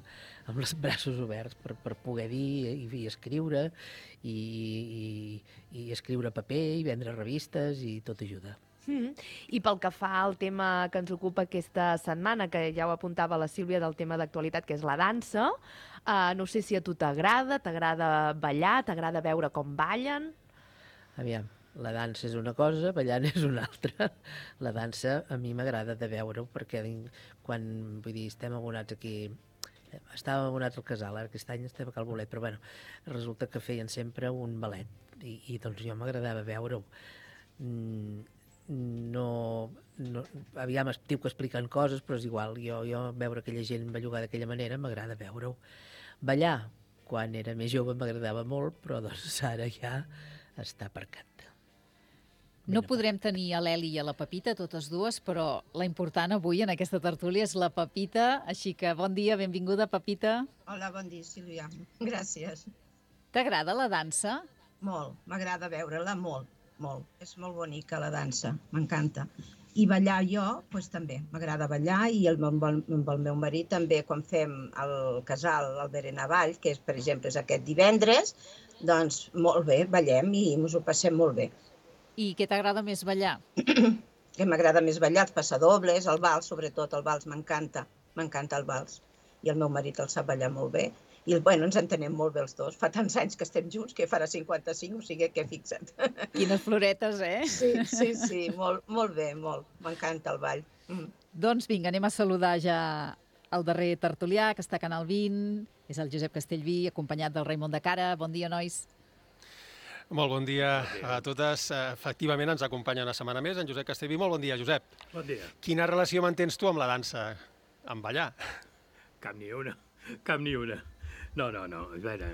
amb els braços oberts per, per poder dir i, i escriure, i, i, i escriure paper, i vendre revistes, i tot ajuda. Mm. I pel que fa al tema que ens ocupa aquesta setmana, que ja ho apuntava la Sílvia del tema d'actualitat, que és la dansa, uh, no sé si a tu t'agrada, t'agrada ballar, t'agrada veure com ballen? Aviam, la dansa és una cosa, ballant és una altra. La dansa a mi m'agrada de veure-ho, perquè quan, vull dir, estem abonats aquí, estàvem abonats al casal, ara aquest any estem a Cal Bolet, però bueno, resulta que feien sempre un ballet, i, i doncs jo m'agradava veure-ho. Mm, no, no aviam estic explicant coses, però és igual, jo, jo veure aquella gent bellugar d'aquella manera m'agrada veure-ho. Ballar, quan era més jove m'agradava molt, però doncs ara ja està aparcat. No podrem tenir a l'Eli i a la Pepita, totes dues, però la important avui en aquesta tertúlia és la Pepita, així que bon dia, benvinguda, Pepita. Hola, bon dia, Sílvia. Gràcies. T'agrada la dansa? Molt, m'agrada veure-la molt. Molt. És molt bonica la dansa, m'encanta. I ballar jo, doncs també, m'agrada ballar i el, amb, el, amb el meu marit també quan fem el casal, el Berenavall, que és, per exemple, és aquest divendres, doncs molt bé, ballem i ens ho passem molt bé. I què t'agrada més ballar? Que m'agrada més ballar, els passadobles, el vals, sobretot el vals, m'encanta, m'encanta el vals. I el meu marit el sap ballar molt bé. I bueno, ens entenem molt bé els dos. Fa tants anys que estem junts que farà cinquanta-cinc, o sigui que fixa't. Quines floretes, eh? Sí, sí, sí, molt, molt bé, molt. M'encanta el ball. Mm. Doncs vinga, anem a saludar ja el darrer tertulià, que està a Canal vint. És el Josep Castellví, acompanyat del Raimon de Cara. Bon dia, nois. Molt bon dia a totes. Efectivament, ens acompanya una setmana més en Josep Castellví. Molt bon dia, Josep. Bon dia. Quina relació mantens tu amb la dansa? Amb ballar? Cap ni una, cap ni una. No, no, no, a veure,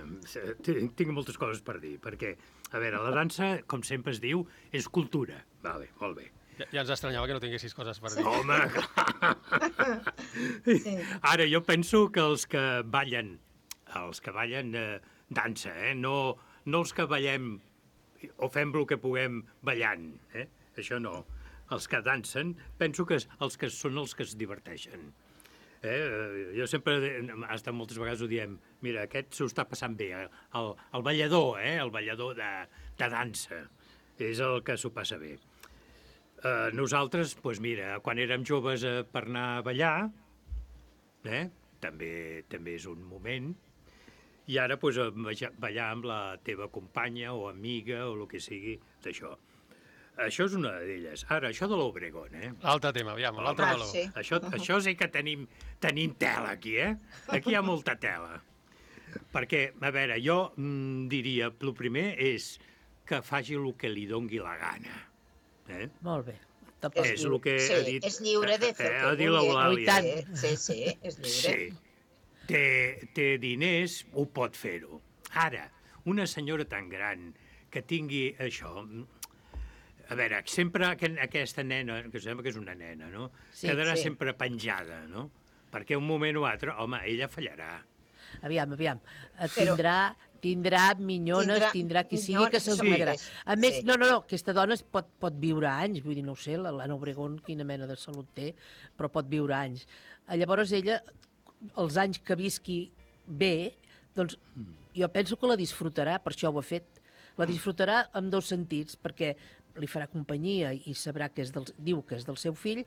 tinc moltes coses per dir, perquè, a veure, la dansa, com sempre es diu, és cultura. Vale, molt bé. Ja, ja ens estranyava que no tinguessis coses per dir. Home, clar! Ara, jo penso que els que ballen, els que ballen eh, dansa, eh, no, no els que ballem o fem el que puguem ballant, eh? Això no. Els que dansen, penso que els que són els que es diverteixen. Eh, jo sempre, hasta moltes vegades ho diem, mira, aquest s'ho està passant bé, el, el ballador, eh, el ballador de, de dansa, és el que s'ho passa bé. Uh, nosaltres, doncs mira, quan érem joves uh, per anar a ballar, eh, també, també és un moment, i ara doncs, uh, ballar amb la teva companya o amiga o el que sigui d'això. Això és una d'elles. Ara, això de l'Obregón, eh? L'altre tema, aviam, l'altre Ah, valor. sí. Això, això sí que tenim, tenim tela aquí, eh? Aquí hi ha molta tela. Perquè, a veure, jo mm, diria, el primer és que faci el que li dongui la gana. Eh? Molt bé. És el que sí, ha dit... és lliure de fer eh, el ha que dit vulgui. l'Eulàlia. Sí, sí, és lliure. Sí. Té, té diners, ho pot fer-ho. Ara, una senyora tan gran que tingui això... A veure, sempre aquesta nena, que sembla que és una nena, no? Sí, Quedarà sí. sempre penjada, no? Perquè un moment o altre, home, ella fallarà. Aviam, aviam. Eh, Però- Tindrà, tindrà minyones, Tindrà tindrà qui sigui minyones, que se'ls sí. cuidarà. A més, Sí. no, no, no, aquesta dona es pot, pot viure anys, vull dir, no ho sé, la- l'Anna Obregón quina mena de salut té, però pot viure anys. Eh, Llavors ella, els anys que visqui bé, doncs jo penso que la disfrutarà, per això ho ha fet. La disfrutarà en dos sentits, perquè li farà companyia i sabrà que és del, diu que és del seu fill,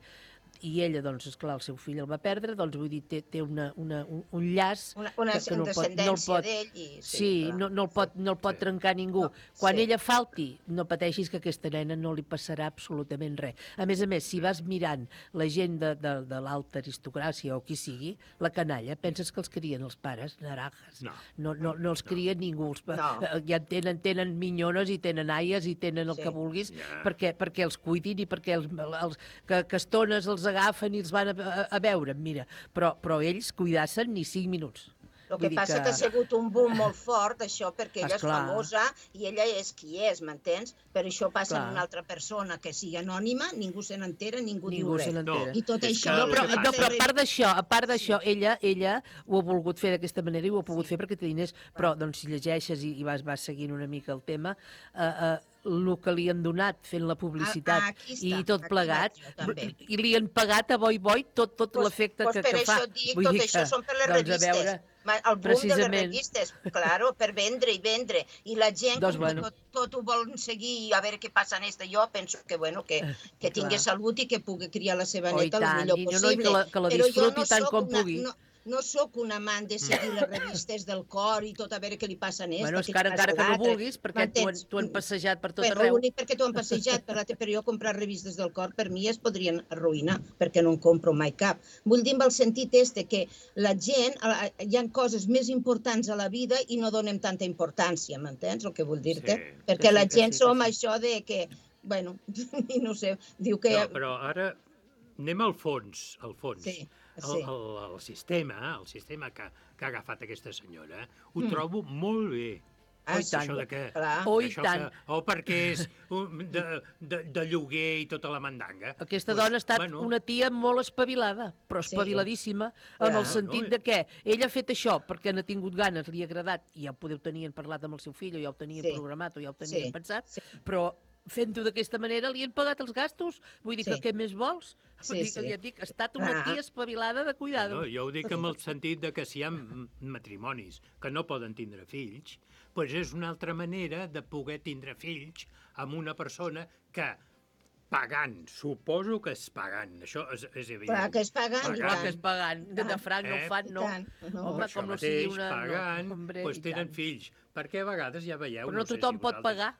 i ella, doncs, esclar, el seu fill el va perdre, doncs, vull dir, té, té una, una, un, un llaç Una, una que, que no el pot, no el descendència pot, d'ell i... sí, clar. no, no el pot, no el pot trencar ningú. Quan sí. ella falti, no pateixis que a aquesta nena no li passarà absolutament res. A més a més, si vas mirant la gent de, de, de l'alta aristocràcia o qui sigui, la canalla, penses que els crien els pares, naranjas. No. No, no, no els cria ningú. Els, pa- No. eh, ja tenen, tenen minyones i tenen aies i tenen el Sí. que vulguis Ja. perquè, perquè els cuidin i perquè els, els, que, que estones els agafen i els van a, a, a veure, mira. Però, però ells cuidassen ni cinc minuts. El que Vull dir passa que... que ha sigut un boom molt fort, això, perquè ella és Esclar. famosa i ella és qui és, m'entens? Però això passa Clar. amb una altra persona que sigui anònima, ningú se n'entera, ningú, Ningú diu se res. n'entera. I tot És això... que- No, però, el que no, però a passa- part d'això, a part d'això, ella, ella ho ha volgut fer d'aquesta manera i ho ha pogut fer perquè té diners, però doncs, si llegeixes i, i vas, vas seguint una mica el tema, eh, eh, el que li han donat fent la publicitat Ah, ah, aquí està, i tot aquí plegat, vaig jo, també. i li han pagat a boi boi tot, tot Pues- l'efecte pues que, per que fa. això et dic, Vull tot dir això que, són per les doncs, revistes. a veure, Ma- El boom de les precisament. revistes, claro, per vendre i vendre. I la gent, Doncs, com bueno. que tot, tot ho volen seguir i a veure què passa en esta, jo penso que, bueno, que, que tingui Clar. salut i que pugui criar la seva Oh, i neta el tant, millor i no, no, i possible. que la- que la Però jo disfruti no tant sóc com una, pugui. No, no sóc un amant de seguir les revistes del cor i tot a veure què li passa a esta, Bueno, és què que ara, li passa encara a que no l'altre. vulguis, perquè t'ho han, M'entens? t'ho han passejat per tot Però arreu. l'únic perquè t'ho han passejat, per l'altre, però jo comprar revistes del cor per mi es podrien arruïnar, perquè no en compro mai cap. Vull dir amb el sentit este, que la gent, a- a- hi ha coses més importants a la vida i no donem tanta importància, m'entens el que vull dir-te? Sí, perquè que sí, la que gent sí, que som sí. això de que, bueno, i no sé, diu que... No, però ara anem al fons, al fons. Sí, El, sí. el, el sistema, el sistema que, que ha agafat aquesta senyora, ho Mm. trobo molt bé. Ah, i tant. Això de que... Clar. Oh, i això tant. Que, o perquè és un, de, de, de lloguer i tota la mandanga. Aquesta Pues, dona ha estat bueno, una tia molt espavilada, però Sí. espaviladíssima, Clar. en el sentit No, de que ella ha fet això perquè n'ha tingut ganes, li ha agradat, i ja ho podeu tenir parlat amb el seu fill, o ja ho tenien Sí. programat, o ja ho tenien Sí. pensat, Sí. però fent-ho d'aquesta manera li han pagat els gastos. Vull dir Sí. que què més vols? Sí, Vull dir sí. que ja et dic, ha estat una Ah. tia espavilada de cuidado. No, jo ho dic en el sentit de que si hi ha m- matrimonis que no poden tindre fills, doncs és una altra manera de poder tindre fills amb una persona que pagant, suposo que és pagant, això és, és evident. Clar que és pagant, i Clar tant. que és pagant, de, de franc no Eh? ho fan, I no. tant, no. Home, Això com no mateix, sigui una... pagant, no, hombre, doncs i tenen tant. fills. Perquè a vegades ja veieu... Però no sé tothom si pot vosaltres- pagar.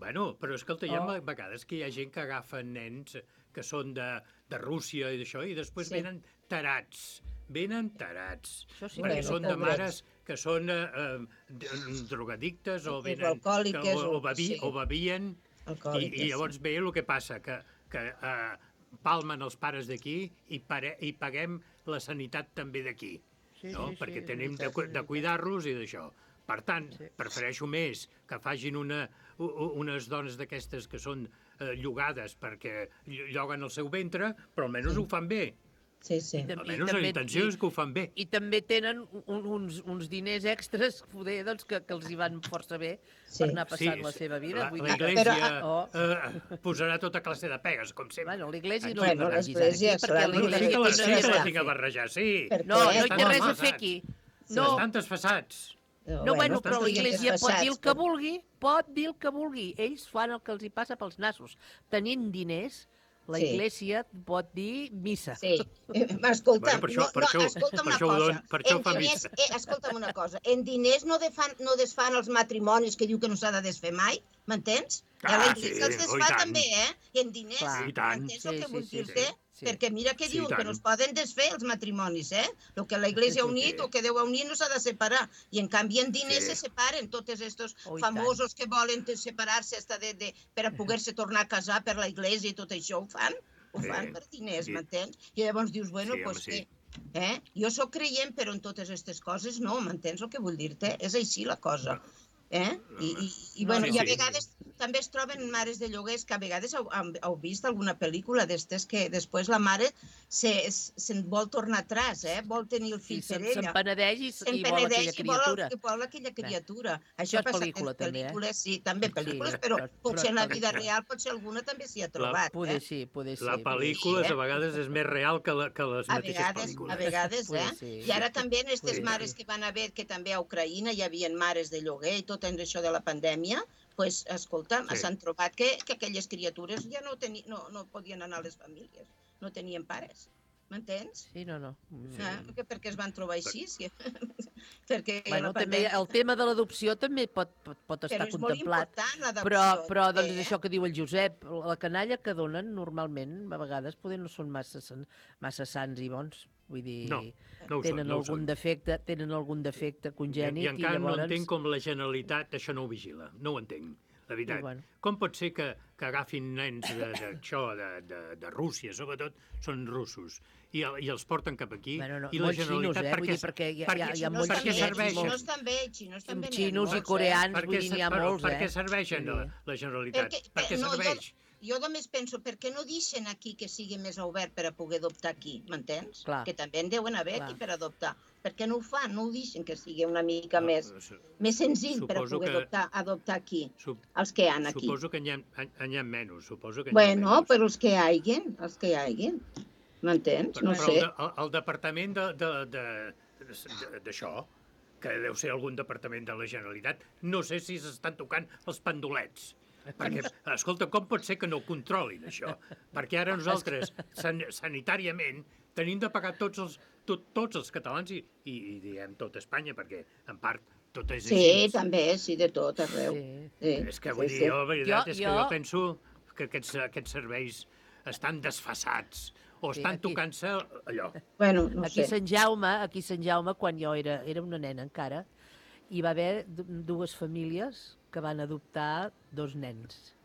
Bueno, però escolta, hi ha Oh. a vegades que hi ha gent que agafa nens que són de, de Rússia i d'això, i després Sí. venen tarats. Venen tarats. Això sí, perquè bueno, són de pobrets. mares que són eh, eh, d- drogadictes o, O venen, alcohòliques, o, o, o- bevi, sí. o bevien. I, Alcohòliques, I llavors ve el que passa, que, que eh, palmen els pares d'aquí i, pare, i paguem la sanitat també d'aquí. Sí, no? sí, sí, Perquè és tenim de, veritat, cu- és de veritat. cuidar-los i d'això. Per tant, Sí. prefereixo més que facin una, u- u- unes dones d'aquestes que són eh, llogades perquè ll- lloguen el seu ventre, però almenys ho fan bé. Sí, sí. I tam- i Almenys la també- intenció i- és que ho fan bé. I també tenen un, uns, uns diners extres, poder, doncs, que, que els hi van força bé Sí. per anar passant la seva vida. La, Vull la dir que- Iglesia Oh. eh, posarà tota classe de pegues, com sempre. Bueno, l'Iglésia no Bueno, l'hem de barrejar l'Església, aquí, perquè clar, Bueno, sí l'Iglésia que la, té sí res que la a tinc a fer. barrejar, sí. Per No, què? no hi té Estan res a amagats. fer aquí. Sí. No, Estan desfassats. No, bueno, bueno, però estiguin l'Església pot dir el desfasats, que però- vulgui, pot dir el que vulgui. Ells fan el que els hi passa pels nassos. Tenint diners, la Sí. Iglésia pot dir missa. Sí, eh, escolta'm, Bueno, per això- no, per no, això- escolta'm per una això ho cosa, don- per això en fa diners, missa. eh, escolta'm una cosa, en diners no, defan, no desfan els matrimonis que diu que no s'ha de desfer mai, m'entens? Ah, la sí, Iglésia els oh, i desfà tant. també, eh? En diners, Clar. I tant. m'entens el Sí, que sí, vull sí, dir-te? sí, sí. Perquè mira que Sí, diuen i que tant. no es poden desfer els matrimonis, eh? El que la Iglésia ha unit, o que Déu ha unit, no s'ha de separar. I en canvi en diners Sí. se separen tots estos Oh, i famosos que volen te- separar-se hasta de, de, per a poder-se tornar a casar per la Iglésia i tot això, ho fan? Ho Sí. fan per diners, Sí. m'entens? I llavors dius, bueno, Sí, home, doncs sí. què? Eh? Jo sóc creient, però en totes aquestes coses no, m'entens el que vull dir-te? És així la cosa. Eh? I, i, i, bueno, Sí, i a sí. vegades també es troben mares de lloguers que a vegades heu, heu vist alguna pel·lícula d'estes que després la mare se'n se, se vol tornar atràs, eh? Vol tenir el fill Sí, per se'n- ella. se'n penedeix i- Se'n i vol penedeix aquella i vol el- criatura. i vol aquella criatura. Això Això és passa pel·lícula, en també, eh? pel·lícules, sí, també pel·lícules, Sí, però però- potser però en la és vida pel·lícula. real potser alguna també s'hi ha trobat. Poder eh? sí, poder sí. La poder pel·lícula sí, eh? a vegades és més real que, la, que les A mateixes vegades, pel·lícules. a vegades, Poder eh? sí. I ara també en aquestes Sí. mares que van haver, que també a Ucraïna hi havia mares de lloguer i tot en això de la pandèmia, pues, escolta, Sí. s'han trobat que, que aquelles criatures ja no, teni, no, no podien anar a les famílies, no tenien pares. M'entens? Sí, no, no. Sí. Ah, perquè, perquè es van trobar així. Sí. perquè Bueno, la també pandèmia... el tema de l'adopció també pot, pot, pot estar Però és molt contemplat. important, l'adopció, Però, però doncs, també, eh? això que diu el Josep, la canalla que donen normalment, a vegades poder no són massa, san- massa sants i bons. Vull dir, No, no ho tenen, són, no ho algun són. defecte, tenen algun defecte I, congènit I encara llavors... no entenc com la Generalitat això no ho vigila. No ho entenc, la veritat. I bueno. Com pot ser que, que agafin nens d'això, de, de, de, de Rússia, sobretot, són russos, i, el- i els porten cap aquí, Bueno, no, i la molts xinos, Generalitat... eh? Vull dir, perquè hi ha- hi ha- hi ha molts per què xinos, serveixen? Xinos també, xinos també n'hi ha Xinos i molts, eh? coreans, Per vull què dir, se- n'hi ha però molts, Per eh? què serveixen Vull la, dir. la Generalitat? Perquè- Per què no, jo- serveix? Jo només penso, per què no deixen aquí que sigui més obert per a poder adoptar aquí, m'entens? Clar. Que també en deuen haver Clar. aquí per adoptar. Per què no ho fan? No ho deixen que sigui una mica més, su- més senzill per a suposo poder que- adoptar, adoptar aquí, Sup- els que hi ha aquí. Suposo que n'hi ha, n'hi ha menys, suposo que n'hi ha Bueno, menys. però els que hi haiguen, els que hi haiguen, m'entens? Però, No però sé. el, de- el, el departament de- de- de- de- d'això, que deu ser algun departament de la Generalitat, no sé si s'estan tocant els pendolets. Perquè, escolta, com pot ser que no ho controlin, això? Perquè ara nosaltres, san sanitàriament, tenim de pagar tots els, tot, tots els catalans i, i, i diem tot Espanya, perquè en part tot és Sí, així. també, sí, de tot, arreu. Sí. És que vull sí, dir, sí. jo, la veritat Jo- és que jo- jo penso que aquests, aquests serveis estan desfasats o Sí, estan aquí- tocant-se allò. Bueno, no Aquí a sé. Sant Jaume, aquí a Sant Jaume, quan jo era, era una nena encara, hi va haver du- dues famílies que van adoptar dos nens.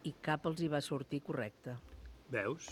I cap els hi va sortir correcte. Veus?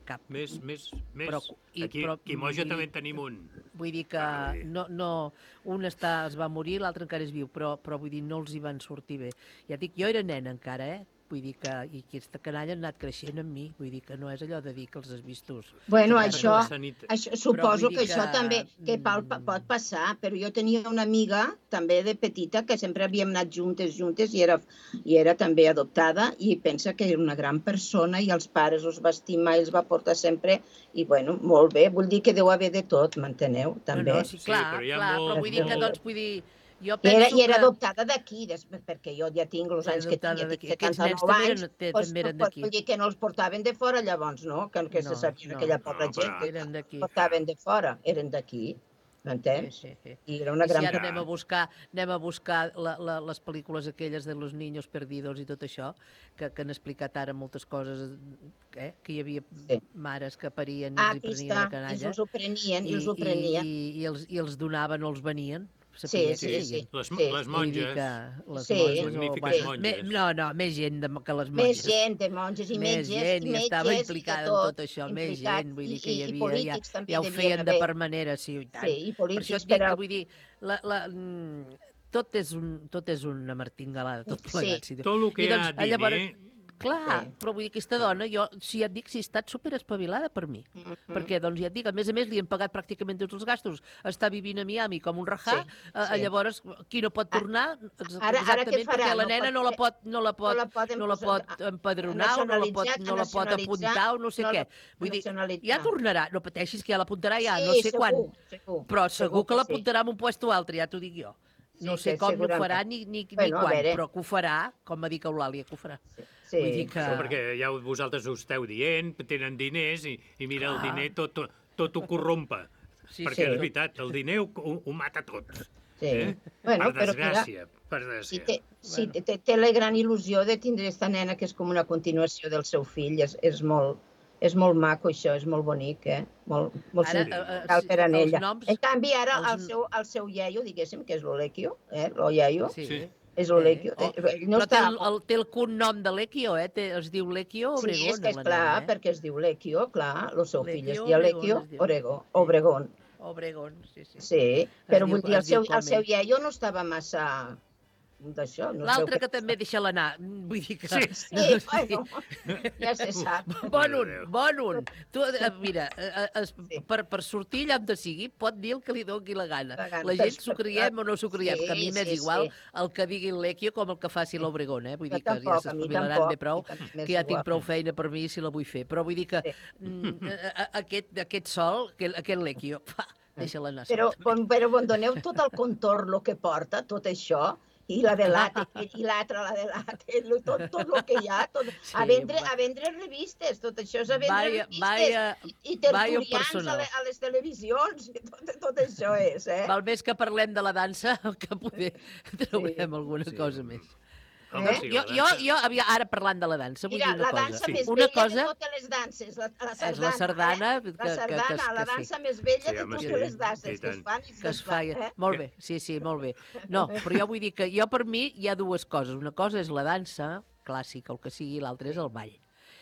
Cap. Més, més, més. Però- i- Aquí, però- aquí a Moja vull també dir- en tenim un. Vull dir que Ah, vull dir. no, no, un està, es va morir, l'altre encara és viu, però, però vull dir, no els hi van sortir bé. Ja et dic, jo era nena encara, eh? Vull dir que i aquesta canalla ha anat creixent amb mi, vull dir que no és allò de dir que els has vist tu. Bueno, Perquè això, la sanit- això Però suposo vull que, dir això que, també que pot, mm, pot passar, però jo tenia una amiga també de petita que sempre havíem anat juntes, juntes i era, i era també adoptada i pensa que era una gran persona i els pares els va estimar i els va portar sempre i bueno, molt bé, vull dir que deu haver de tot, m'enteneu? També. No, no, sí, clar, però hi ha clar, molt- però vull dir que, molt- doncs, vull dir, jo I penso era, I era que... adoptada d'aquí, des- perquè jo ja tinc els Era anys que adoptada tinc, ja d'aquí. tinc Aquests nens setanta-nou també anys, eren- te- doncs, també eren doncs, d'aquí. vull dir que no els portaven de fora llavors, no? Que, que No, se sabia no, aquella pobra no, gent, però- que Eren d'aquí. portaven de fora, eren d'aquí, m'entens? Sí, sí, sí. I era una I si gran ara anem a buscar, anem a buscar la, la, les pel·lícules aquelles de los niños perdidos i tot això, que, que han explicat ara moltes coses, eh? Que hi havia Sí. mares que parien i Ah, els hi aquí prenien està, la ells canalla. els ho prenien, I, ells ho prenien. i, i, i, els, i els donaven o els venien. Sí, Sabia sí, que sí. feien. Les, Sí. les Vull dir monges, que les Sí. monges, magnífiques o- monges. Me, no, no, més gent de, que les Més monges. gent de monges i més metges, gent, i i metges, estava i de implicada tot, en tot això, més implicat, gent, vull dir i- que hi i- i havia, ja, polítics també ja ho devien feien de haver. per manera, sí, i tant. Sí, i Per polítics això et dic per a- que, vull dir, la, la, mm, tot, és un, tot és una martingalada, tot Sí. plegat. Sí. tot el que I hi doncs, ha llavors, diner, Clar, sí. Però vull dir, aquesta dona, jo, si ja et dic, si ha estat superespavilada per mi. Mm -hmm. Perquè, doncs, ja et dic, a més a més, li han pagat pràcticament tots els gastos. Està vivint a Miami com un rajà, sí, sí. Eh, llavors, qui no pot tornar, exactament, ara, ara perquè la nena no la pot, no la pot, no la pot, no la pot empadronar, o no la pot, no la pot apuntar, o no sé no què. Vull dir, ja tornarà, no pateixis que ja l'apuntarà ja, sí, no sé segur, quan, segur, però segur, segur que l'apuntarà en un puesto altre, ja t'ho dic jo. No sé com no ho farà ni, ni, bueno, ni quan, però que ho farà, com va dir que Eulàlia, que ho farà. Sí. Sí. Vull dir que... Sí, perquè ja vosaltres ho esteu dient, tenen diners i, i mira, ah. el diner tot, tot, tot ho corrompe. Sí, perquè sí. És veritat, el diner ho, ho, ho mata tot. Sí. Eh? Bueno, per desgràcia, mira, per desgràcia. Si té, si bueno. té, té la gran il·lusió de tindre aquesta nena que és com una continuació del seu fill, és, és molt... És molt maco, això, és molt bonic, eh? Molt, molt sentimental per a ella. Noms, en canvi, ara, els... el, seu, el seu iaio, diguéssim, que és l'Olequio, eh? L'Oiaio, sí. És l'Olequio. Sí. Oh, no però està... té, el, el, té el cognom de l'Equio, eh? Té, es diu L'Equio Obregón. Sí, és que és clar, eh? perquè es diu L'Equio, clar, el seu fill es diu L'Equio Obregón. Obregón. Obregón, sí, sí. Sí, però vull dir, el seu, el seu iaio no estava massa... d'això. No L'altre que, que també deixa l'anar, vull dir que... Sí, sí, no, bueno, ja se sap. Bon un, bon un. Tu, mira, es, sí. per, per sortir allà on sigui, pot dir el que li doni la gana. La, gana. la gent s'ho creiem o no s'ho creiem, sí, que a mi m'és sí, igual sí. el que digui l'Equio com el que faci l'Obregón, eh? Vull dir que tampoc, ja s'espavilaran bé prou, que ja tinc prou feina per mi si la vull fer. Però vull dir que sí. aquest, aquest sol, aquest l'Equio, deixa-la anar. Però, bon, però bon, doneu tot el contorn, el que porta, tot això, i la de l'Ate, i l'altra, la de l'Ate, tot, tot el que hi ha, tot, sí, a, vendre, a vendre revistes, tot això és a vendre vaya, revistes, vaya, i, i tertulians a, le, a les televisions, tot, tot això és, eh? Val més que parlem de la dansa, que poder traurem sí. alguna sí. cosa més. Eh? Jo, jo, jo havia, ara parlant de la dansa, vull Mira, dir una cosa. Mira, la dansa sí. més una vella cosa... de totes les danses, la, la sardana. És la sardana. Eh? La sardana, que, que, que, la dansa sí. més vella sí, de totes sí. les danses que es fan i que es fa. Eh? Molt bé, sí, sí, molt bé. No, però jo vull dir que jo per mi hi ha dues coses. Una cosa és la dansa clàssica, el que sigui, l'altra és el ball.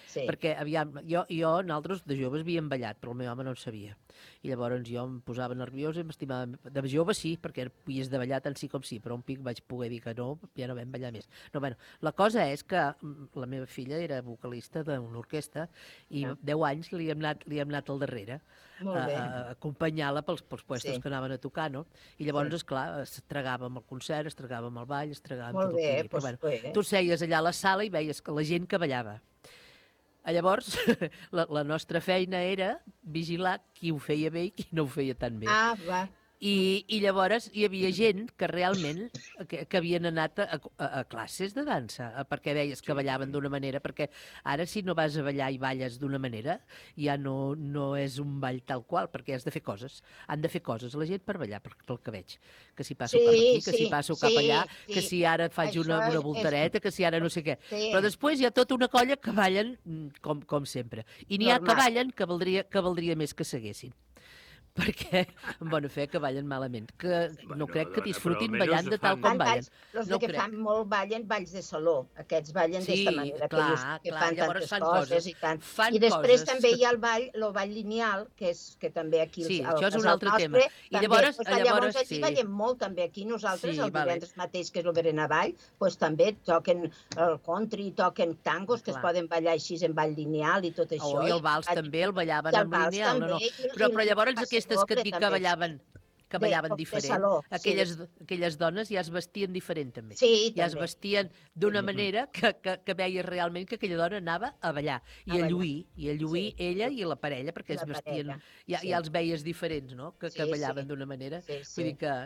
Sí. Perquè, aviam, jo, jo, nosaltres de joves havíem ballat, però el meu home no en sabia. I llavors jo em posava nerviosa i m'estimava... De jove sí, perquè havies de ballar tant sí com sí, però un pic vaig poder dir que no, ja no vam ballar més. No, bueno, la cosa és que la meva filla era vocalista d'una orquestra i ah. deu anys li hem anat, li hem anat al darrere a, a acompanyar-la pels, pels puestos sí. que anaven a tocar, no? I llavors, sí. esclar, es tragàvem el concert, es tragàvem el ball, es tragàvem molt tot bé, el que pues, bueno, bé. Tu seies allà a la sala i veies que la gent que ballava. Llavors, la, la nostra feina era vigilar qui ho feia bé i qui no ho feia tan bé. Ah, va. I, i llavors hi havia gent que realment que, que havien anat a, a, a classes de dansa, perquè veies que ballaven d'una manera, perquè ara si no vas a ballar i balles d'una manera, ja no, no és un ball tal qual, perquè has de fer coses. Han de fer coses la gent per ballar, pel, pel que veig. Que si passo sí, cap aquí, que sí, si passo cap sí, allà, sí. que si ara faig una, una voltareta, és... que si ara no sé què. Sí. Però després hi ha tota una colla que ballen com, com sempre. I n'hi ha que ballen que valdria, que valdria més que seguessin. Perquè, en bona fe, que ballen malament. Que bueno, no crec que disfrutin ballant de tal com ballen. Els no que crec. Fan molt ballen balls de saló. Aquests ballen sí, d'esta manera, clar, que, que clar, fan tantes fan coses, coses i tant. Fan I després coses. també hi ha el ball, el ball lineal, que és que també aquí... Sí, el, això és un altre nostre, tema. I també, llavors, pues, llavors, llavors aquí sí. ballem molt també aquí. Nosaltres, sí, el divendres vale. mateix, que és el Berenavall, pues, també toquen el country, toquen tangos, que clar. Es poden ballar així en ball lineal i tot això. Oh, I el vals I, també, el ballaven en lineal. No, no. Però, però llavors aquestes que et dic que ballaven que ballaven de, diferent. De saló, aquelles, sí. aquelles dones ja es vestien diferent, també. Sí, ja també. es vestien d'una manera que, que, que veies realment que aquella dona anava a ballar. I a, a lluir, i a lluir sí. ella i la parella, perquè la es vestien... Ja, sí. ja els veies diferents, no?, que, que sí, ballaven sí. d'una manera. Sí, sí. Vull dir que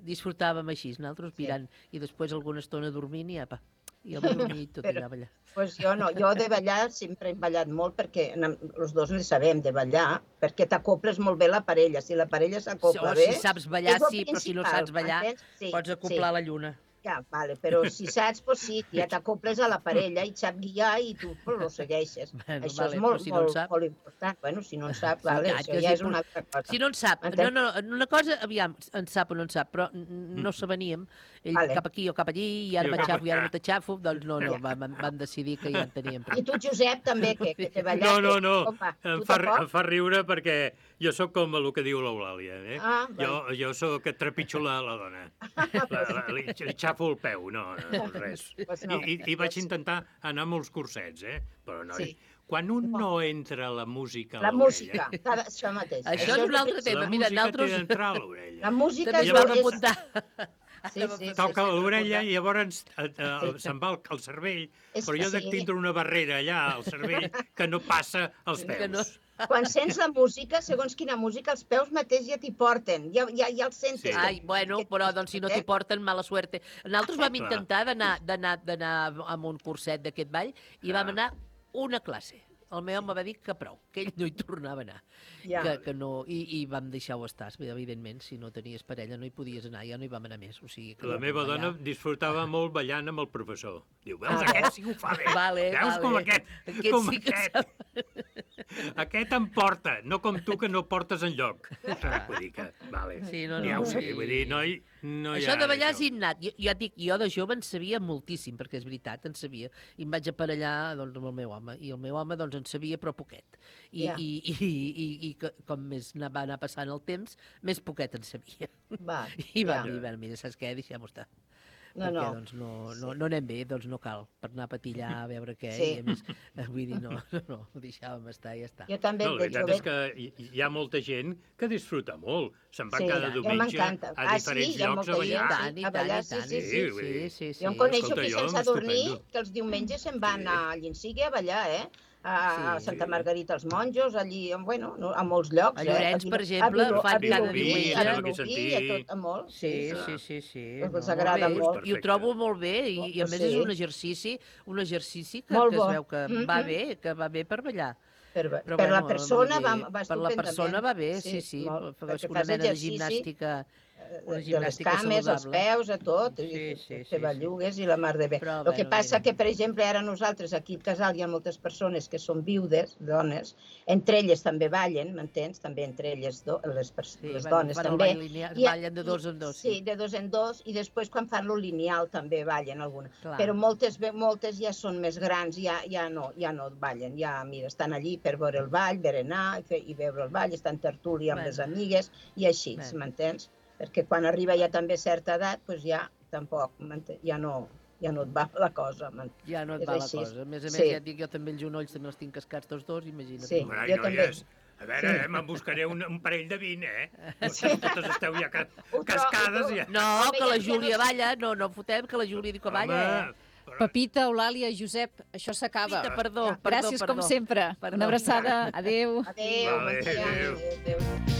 disfrutàvem així, nosaltres mirant, sí. i després alguna estona dormint i apa, i el dormir tot allà a ballar. Pues jo no, jo de ballar sempre he ballat molt perquè els dos ne sabem de ballar, perquè t'acoples molt bé la parella. Si la parella s'acopla bé... O si saps ballar, sí, però si no saps ballar, sí, pots acoplar sí. la lluna. Ja, vale, però si saps, pues sí, ja t'acoples a la parella i et sap guiar i tu pues, lo segueixes. Bueno, això vale, és molt, si no molt, sap... molt important. Bueno, si no en sap, vale, sí, això ja és una altra cosa. Si no en sap, no, no, una cosa, aviam, en sap o no en sap, però no s'aveníem, ell vale. Cap aquí o cap allí, i ara m'aixafo i ara no t'aixafo, doncs no, no, van, van decidir que ja en teníem prou. I tu, Josep, també, que, que te ballat... No, no, no, em fa, em fa riure perquè jo sóc com el que diu l'Eulàlia, eh? Ah, jo, jo sóc que trepitjo la, la dona. La, la, li, li xafo agafo el peu, no, no res. Pues no. I, i, I vaig intentar anar a molts cursets, eh? Però, noi, Sí. quan un no entra la música a La l'orella... música, cada- això mateix. Això és un altre tema. La Mira, música nosaltres... té d'entrar a l'orella. La música També és... es vam és- apuntar. Sí, sí, sí, Toca sí, l'orella sí. i llavors eh, eh, se'n va el, el cervell, És però que jo dec sí. tindre una barrera allà al cervell que no passa als Que peus. no- Quan sents la música, segons quina música, els peus mateix ja t'hi porten, ja, ja, ja els sentes. Sí. Ai, bueno, però doncs si no t'hi porten, mala suerte. Nosaltres vam Clar. intentar d'anar d'anar d'anar a un curset d'aquest ball i vam anar una classe. El meu home va dir que prou, que ell no hi tornava a anar. Ja. Que, que no, i, I vam deixar-ho estar. Evidentment, si no tenies parella no hi podies anar, ja no hi vam anar més. O sigui, que La vam meva ballar. dona disfrutava molt ballant amb el professor. Diu, veus, Ah, aquest sí que ho fa bé. Vale, Veus vale. com aquest, Aquest com sí que aquest. Aquest em porta, no com tu que no portes enlloc. Vull dir que, vale. Sí, no, Ja no, ho sé, sí. vull dir, noi, no hi Això ha... de ballar és innat. Jo, jo et dic, jo de jove en sabia moltíssim, perquè és veritat, en sabia. I em vaig aparellar doncs, amb el meu home. I el meu home doncs, en sabia, però poquet. I, Ja. i, i, i, i que, com més na- va anar passant el temps, més poquet en sabia. Va, I va ja. dir, bueno, mira, saps què? Deixem-ho estar. No, perquè no. doncs, no, no, no anem bé, doncs no cal, per anar a patillar, a veure què, Sí. i a més, eh, vull dir, no, no, no, ho deixàvem estar i ja està. Jo també, No, la de veritat jove... és que hi, hi ha molta gent que disfruta molt. Se'n va Sí, cada ja diumenge m'encanta. a Ah, sí, diferents hi ha llocs molta a ballar. gent, tant, i a tant, ballar, i sí, tant. sí, sí. sí, sí, sí, sí. Jo en coneixo Escolta, que jo, sense dormir, estupendo. que els diumenges se'n van a Llensigue a ballar, eh? A Sí. Santa Margarita els Monjos, allí, bueno, no, a molts llocs. A eh? Llorenç, Viló- per exemple, a Viló- fan a Vilobí, cada diumenge. A Sembla que Vilobí, sentir. a tot, a molt. Sí, sí, sí, sí. Els No, agrada bé, molt. I ho trobo molt bé, i, i a Pues més sí. és un exercici, un exercici que, Molt que bo. es veu que Mhm. va bé, que va bé per ballar. Per, Però, per la bueno, persona vull va, dir, va Per la estupendament. persona va bé, sí, sí. molt, Fas perquè una fas mena de exercici, gimnàstica, una de les gimnàstica cames, els saludable. peus, a tot, Sí, i sí, fer sí, bellugues i la mar de bé. Però, El que bueno, passa mira. que, per exemple, ara nosaltres aquí al casal hi ha moltes persones que són viudes, dones, entre elles també ballen, m'entens? També entre elles do, les, pers- Sí, les bueno, dones fan el també. ball lineal, I- ballen de dos en dos, Sí, sí. de dos en dos, i després quan fan lo lineal també ballen alguna. Clar. Però moltes, ve- moltes ja són més grans, ja, ja, no, ja no ballen, ja, mira, estan allí per veure el ball, berenar i, fer, i veure el ball, estan tertúlia amb Bueno. les amigues i així, Bueno. m'entens? Perquè quan arriba ja també certa edat, doncs ja tampoc, m'entens? ja no, ja no et va la cosa. m'ent- Ja no et És va la així. cosa. A més a més, Sí. ja et dic, jo també els genolls també els tinc cascats tots dos, imagina't. Sí. tu. Ai, Jo també. noies, a veure, Sí. eh, me'n buscaré un, un parell de vint, eh? Vosaltres totes esteu ja ca Ho tro- cascades. ho tro- Ja. No, Home, que ja- la ja no Júlia sé. balla, no, no fotem, que la Júlia diu que balla, eh? però- Pepita, Eulàlia, Josep, això s'acaba. Pepita, perdó, perdó, Gràcies, com perdó. sempre. Perdó. Una abraçada. Adéu. Adéu, Vale, bon dia. adéu. Adéu, adéu.